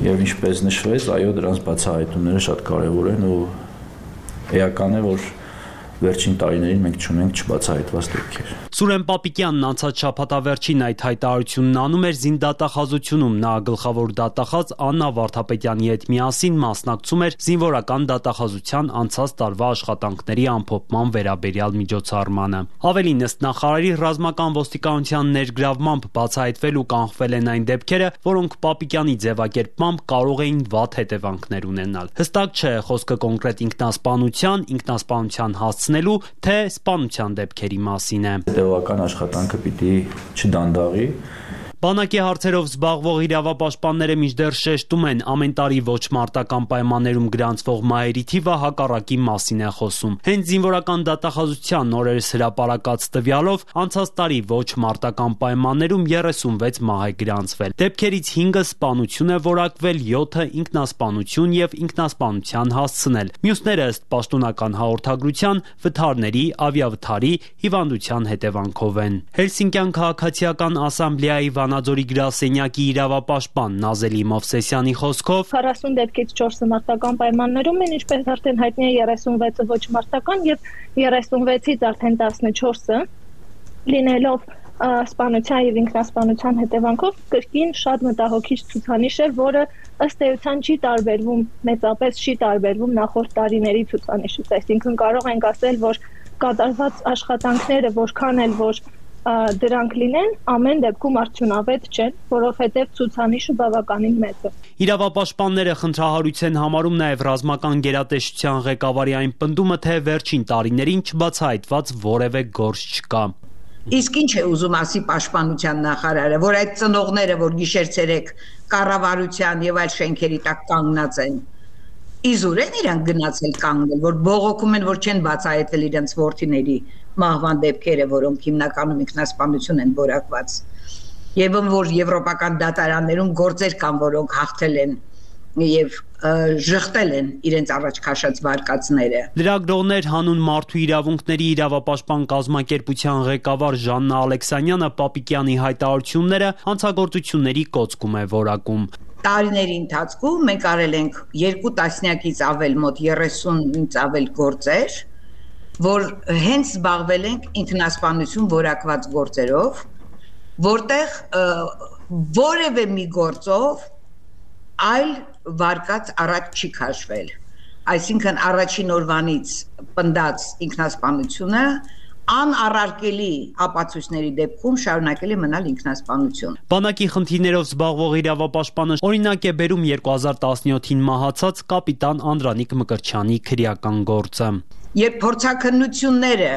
եւ ինչպես նշվեց, այո, դրանց բացահայտումները շատ կարեւոր են ու էական է, որ վերջին տարիներին մենք չունենք չբացահայտված դեպքեր։ Սուրեն Պապիկյանն անցած շաբաթավերջին այդ հայտարարությունն անում էր զինդատախազությունում։ Նա գլխավոր դատախազ Աննա Վարդապետյանի հետ միասին մասնակցում էր զինվորական դատախազության անցած տարվա աշխատանքների ամփոփման վերաբերյալ միջոցառմանը։ Ավելին, ըստ նախարարի, ռազմական ոստիկանության ներգրավմամբ բացահայտվել ու կանխվել են այն դեպքերը, որոնք Պապիկյանի ձևակերպմամբ կարող էին վատ հետևանքներ ունենալ։ Հստակ չէ խոսքը կոնկրետ ինքնասպանության, ինքնասպանության հասցնելու, թե սպանության դեպքերի մասին է։ Հետևական աշխատանքը պիտի չդանդաղի։ Բանակի հարցերով զբաղվող իրավապաշտպանները մինչդեռ շեշտում են, ամեն տարի ոչ մարտական պայմաններում գրանցվող մահերի թիվը հակառակի մասին է խոսում։ Հենց զինվորական դատախազության օրերս հրապարակած տվյալով անցած տարի ոչ մարտական պայմաններում երեսունվեց մահ է գրանցվել։ Դեպքերից հինգը սպանություն է որակվել, յոթը ինքնասպանություն եւ ինքնասպանության հասցնել։ Մյուսները ըստ պաշտոնական հաղորդագրության վթարների, ավիավթարի, հիվանդության հետևանքով են։ Հելսինկյան քաղաքացիական ասամբլեայի Վանաձորի գրասենյակի իրավապաշտպան Նազելի Մովսեսյանի խոսքով քառասուն դեպքից չորսը մարտական պայմաններում են, ինչպես արդեն հայտնի է երեսունվեցը ոչ մարտական եւ երեսունվեցից արդեն տասնչորսը լինելով սպանության եւ ինքնասպանության հետևանքով կրկին շատ մտահոգիչ ցուցանիշ է, որը ըստ էության չի տարբերվում, մեծապես չի տարբերվում նախորդ տարիների ցուցանիշից, այսինքն կարող ենք ասել, որ կատարված աշխատանքները որքան էլ որ դրանք լինեն, ամեն դեպքում արդյունավետ չեն, որովհետև ցուցանիշը բավականին մեծ է։ Իրավապաշտպանները խնդրահարույց են համարում նաև ռազմական գերատեսչության ղեկավարի այն պնդումը, թե վերջին տարիներին չբացահայտված որևէ գործ չկա։ Իսկ ինչ է ուզում ասի պաշտպանության նախարարը, որ այդ ծնողները, որ գիշեր-ցերեկ կառավարության եւ այլ շենքերի տակ կանգնած են, իզուր են իրանք գնացել կանգնել, որ բողոքում են, որ չեն բացահայտել իրենց որդիների մահվան դեպքերը, որոնք հիմնականում ինքնասպանություն են որակված, եւ որ եվրոպական դատարաններում գործեր կան, որոնք հաղթել են եւ ժխտել են իրենց առաջ քաշած վարկածները։ Լրագրողներ հանուն մարդու իրավունքների իրավապաշտպան կազմակերպության ղեկավար Ժաննա Ալեքսանյանը Պապիկյանի հայտարարությունները հանցագործությունների կոծկում է որակում։ Տարիների ընթացքում մենք արել ենք երկու տասնյակից ավել, մոտ երեսունից ավել գործեր, որ հենց զբաղվել ենք ինքնասպանություն որակված գործերով, որտեղ որևէ մի գործով այլ վարկած առաջ չի քաշվել։ Այսինքն առաջին օրվանից պնդած ինքնասպանությունը անառարկելի ապացույցների դեպքում շարունակել է մնալ ինքնասպանություն։ Բանակի խնդիրներով զբաղվող իրավապաշտպանը օրինակ է բերում երկու հազար տասնյոթին մահացած կապիտան Անդրանիկ Մկրտչյանի քրեական գործը։ Երբ փորձաքննությունները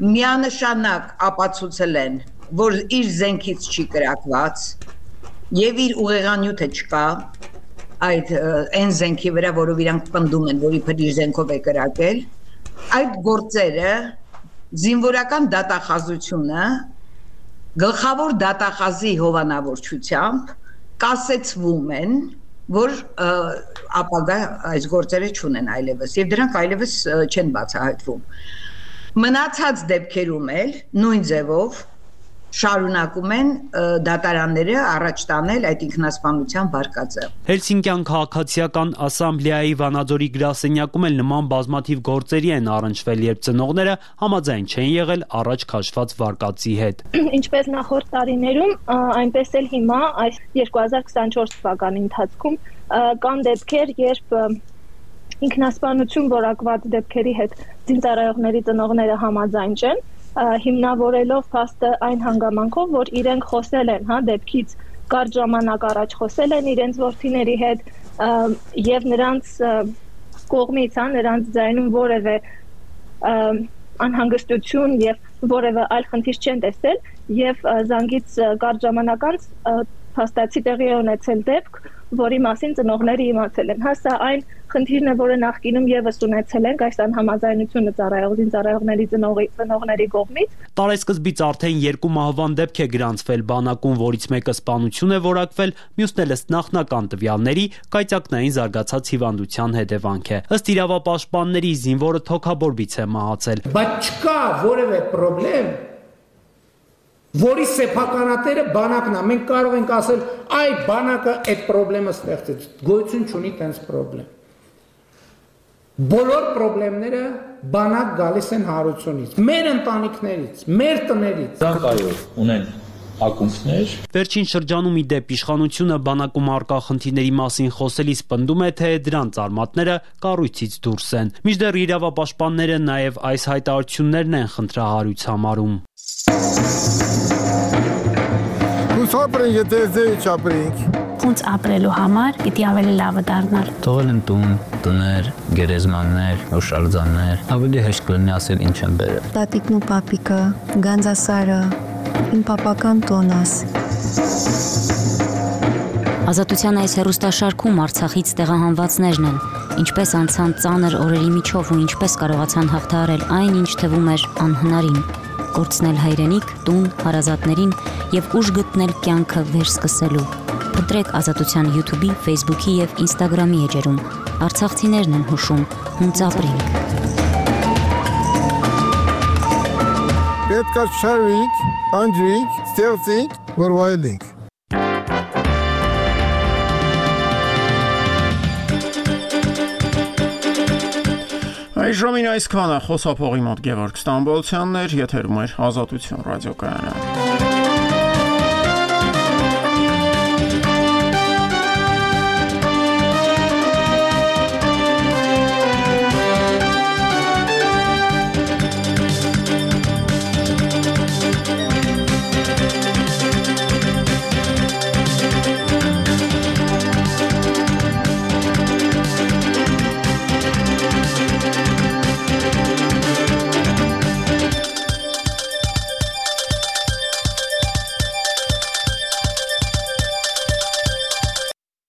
միանշանակ ապացուցել են, որ իր զենքից չի կրակված եւ իր ուղեղանյութը չկա այդ այն զենքի վրա, որով իրանք պնդում են, որ իբր իր զենքով է կրակել, այդ գործերը զինվորական դատախազությունը գլխավոր դատախազի հովանավորչությամբ կասեցվում են, որ ապագա այս գործերը չունեն այլևս եւ դրանք այլևս չեն բացահայտվում։ Մնացած դեպքերում էլ նույն ձևով շարունակում են դատարանները առաջ տանել այդ ինքնասպանության վարկածը։ Հելսինկյան քաղաքացիական ասամբլեայի Վանաձորի գրասենյակում էլ նման բազմաթիվ գործերի են առնչվել, երբ ծնողները համաձայն չեն եղել առաջ քաշված վարկածի հետ։ Ինչպես նախորդ տարիներում, այնպես էլ հիմա այս երկու հազար քսանչորս թվականի ընթացքում կան դեպքեր, երբ ինքնասպանություն որակված դեպքերի հետ զինծառայողների ծնողները համաձայն չեն, հիմնավորելով փաստը այն հանգամանքով, որ իրենք խոսել են, հա, դեպքից կարճ ժամանակ առաջ խոսել են իրենց որդիների հետ եւ նրանց կողմից, հա, նրանց ձայնում որևէ անհանգստություն եւ որևէ այլ խնդիր չեն տեսել եւ զանգից կարճ ժամանակ անց փաստացի տեղի է ունեցել դեպք, որի մասին ծնողները իմացել են։ Հա, սա այն խնդիրն է, որը նախկինում եւս ունեցել ենք այս անհամաձայնությունը ծառայողին ծառայողների ծնողների կողմից։ Տարեսկզբից արդեն երկու մահվան դեպք է գրանցվել բանակում, որից մեկը սպանություն է որակվել, մյուսն էլ ըստ նախնական տվյալների կայծակնային զարգացած հիվանդության հետևանք է։ Ըստ իրավապաշտպանների զինվորը թոքաբորբից է մահացել։ Բայց չկա որևէ խնդրեմ, որի սեփականատերը բանակն է։ Մենք կարող ենք ասել, այ բանակը այդ խնդրեմը ստեղծեց։ Գոյություն չունի տենց խնդրեմ։ Բոլոր խնդիրները բանակ գալիս են հարությունից, մեր ընտանիքներից, մեր տներից։ Դրանք այո, ունեն ակումբներ։ Վերջին շրջանում ի դեպ իշխանությունը բանակում առկա խնդիրների մասին խոսելիս պնդում է, թե դրանց արմատները կառույցից դուրս են։ Մինչդեռ իրավապաշտպանները նաև այս հայտարարություններն են խնդրահարույց համարում։ Հուսապրենք, եթե ձեի չապրենք։ Ոնց ապրելու համար պիտի ավելի լավը դառնալ։ Թողել են տուն, տներ, գերեզմաններ, հուշարձաններ, ավելի հեշտ կլինի ասել ինչ են բերել։ Տատիկն ու պապիկը, Գանձասարը, իմ պապական տոնս։ Ազատության այս հեռուստաշարքում Արցախից տեղահանվածներն են, ինչպես անցան ծանր օրերի միջով ու ինչպես կարողացան հաղթահարել այն, ինչ թվում էր անհնարին։ Կորցնել հայրենիք, տուն, հարազատներին եւ ուժ գտնել կյանքը վերսկսելու։ Փնտրեք Ազատության YouTube-ի, Facebook-ի եւ Instagram-ի էջերում։ Արցախցիներն են հուշում, հունց ապրենք։ Պետք է շարվենք, անջրենք, ստեղծենք, որ վայելենք։ Այժմին այսքանը խոսափողի մոտ Գևորգ Ստամբոլցյանն էր, եթերում էր Ազատություն ռադիոկայանը։